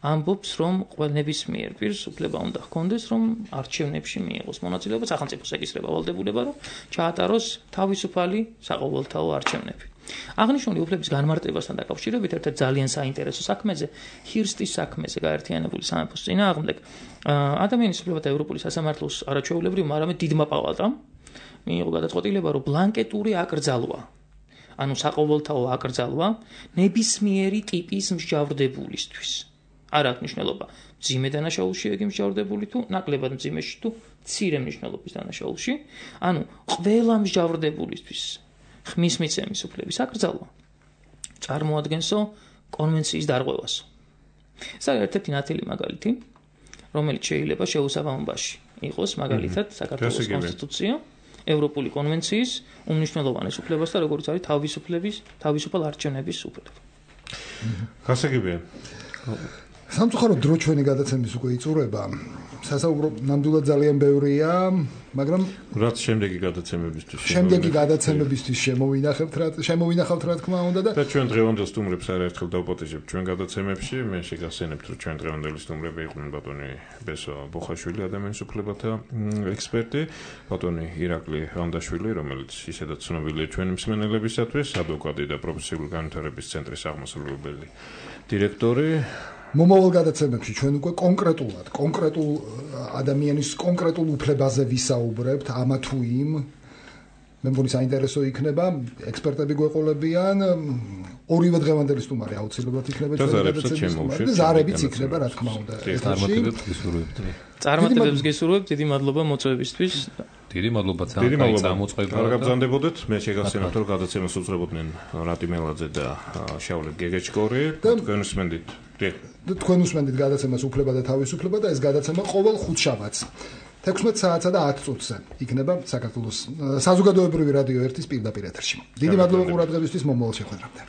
ამბობს, რომ ყველა ნებისმიერ პირს უფლება უნდა ჰქონდეს, რომ არჩევნებში მიიღოს მონაწილეობა, სახელმწიფოს ეკისრება ვალდებულება, რომ ჩაატაროს თავისუფალი საყოველთაო არჩევნები. აღნიშნული უფლების განმარტებასთან დაკავშირებით ერთ-ერთ ძალიან საინტერესო საქმეზე, ჰირსტის საქმეზე გაერთიანებული სამეფოს წინააღმდეგ, ადამიანის უფლებათა ევროპული სასამართლოს არაჩვეულებრივ, არამედ დიდმა პალატამ მიიღო გადაწყვეტილება, რომ ბლანკეტური აკრძალვა, ანუ საყოველთაო აკრძალვა ნებისმიერი ტიპის მსჯავრდებულისთვის. არ აქვს მნიშვნელობა მძიმე დანაშაულში იგი მსჯავრდებული თუ ნაკლებად მძიმეში თუ მცირე მნიშვნელობის დანაშაულში, ანუ ყველა მსჯავრდებულისთვის ხმის მიცემის უფლების აკრძალვა წარმოადგენსო კონვენციის დარღვევას. ეს არის ერთ-ერთი ნათელი მაგალითი, რომელიც შეიძლება შეუსაბამობაში იყოს მაგალითად საქართველოს კონსტიტუცია, ევროპული კონვენციის უმნიშვნელოვანეს უფლებას და როგორც არის თავისუფლების, თავისუფალ არჩევნების უფლება. გასაგებია. სამწუხაროდ დრო ჩვენი გადაცემის უკვე იწურება. სასაუბრო ნამდვილად ძალიან ბევრია, მაგრამ რაც შემდეგი გადაცემებისთვის შემდეგი გადაცემებისთვის შემოვინახებთ რა შემოვინახავთ რა თქმა უნდა და და ჩვენ დღევანდელ სტუმრებს არაერთხელ დავპატიჟებთ ჩვენ გადაცემებში. მე შეგახსენებთ, რომ ჩვენ დღევანდელი სტუმრები იყვნენ ბატონი ბესო ბოხაშვილი, ადამიანის უფლებათა ექსპერტი, ბატონი ირაკლი ვანდაშვილი, რომელიც ისედაც ცნობილია ჩვენი მსმენელებისათვის, ადვოკატი და პროფესიული განვითარების ცენტრის აღმასრულებელი დირექტორი. მომავალ გადაცემებში ჩვენ უკვე კონკრეტულად, კონკრეტულ ადამიანის კონკრეტულ უფლებაზე ვისაუბრებთ, ამა თუ იმ. მე მგონი საინტერესო იქნება, ექსპერტები გვეყოლებიან, ორივე დღევანდელი სტუმარი აუცილებლად იქნება ჩვენი გადაცემის სტუმარი და ზარებიც იქნება, რა თქმა უნდა. წარმატებებს გისურვებთ. წარმატებებს გისურვებთ, დიდი მადლობა მოწვევისთვის. დიდი მადლობა ძალიან წამოწყება. არ გაბრძანდებოდეთ, მე შეგახსენებთ, რომ გადაცემას უძღვებოდნენ რატი მელაძე და შავლე გეგეჭკორი. თქვენ უსმენდით. და თქვენ უსმენდით გადაცემას უფლება და თავისუფლება და ეს გადაცემა ყოველ ხუთშაბათს თექვსმეტ საათსა და ათ წუთზე იქნება საქართველოს საზოგადოებრივი რადიო ერთის პირდაპირ ეთერში. დიდი მადლობა ყურადღებისთვის, მომავალ შეხვედრამდე.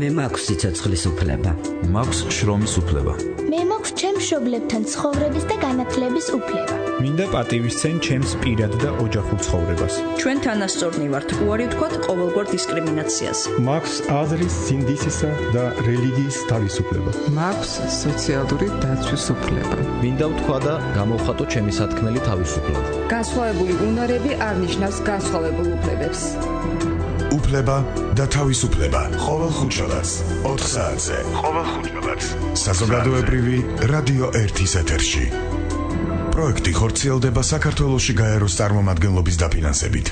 მე მაქვს სიცოცხლის უფლება. მაქვს შრომის უფლება. მე მაქვს ჩემს მშობლებთან ცხოვრების და განათლების უფლება. მინდა პატივისცენ ჩემს პირად და ოჯახურ ცხოვრებას. ჩვენ თანასწორნი ვართ უარი ვთქვათ ყოველგვარ დისკრიმინაციას. მაქვს აზრის, სინდისისა და რელიგიის თავისუფლება. მაქვს სოციალური დაცვის უფლება. მინდა ვთქვა და გამოვხატო ჩემი სათქმელი თავისუფლად. განსხვავებული უნარები არ ნიშნავს განსხვავებულ უფლებებს. უფლება და თავისუფლება. ყოველ ხუთშაბათს ოთხ საათზე. ყოველ ხუთშაბათს საზოგადოებრივი რადიო ერთის ეთერში. პროექტი ხორციელდება საქართველოში გაეროს წარმომადგენლობის დაფინანსებით.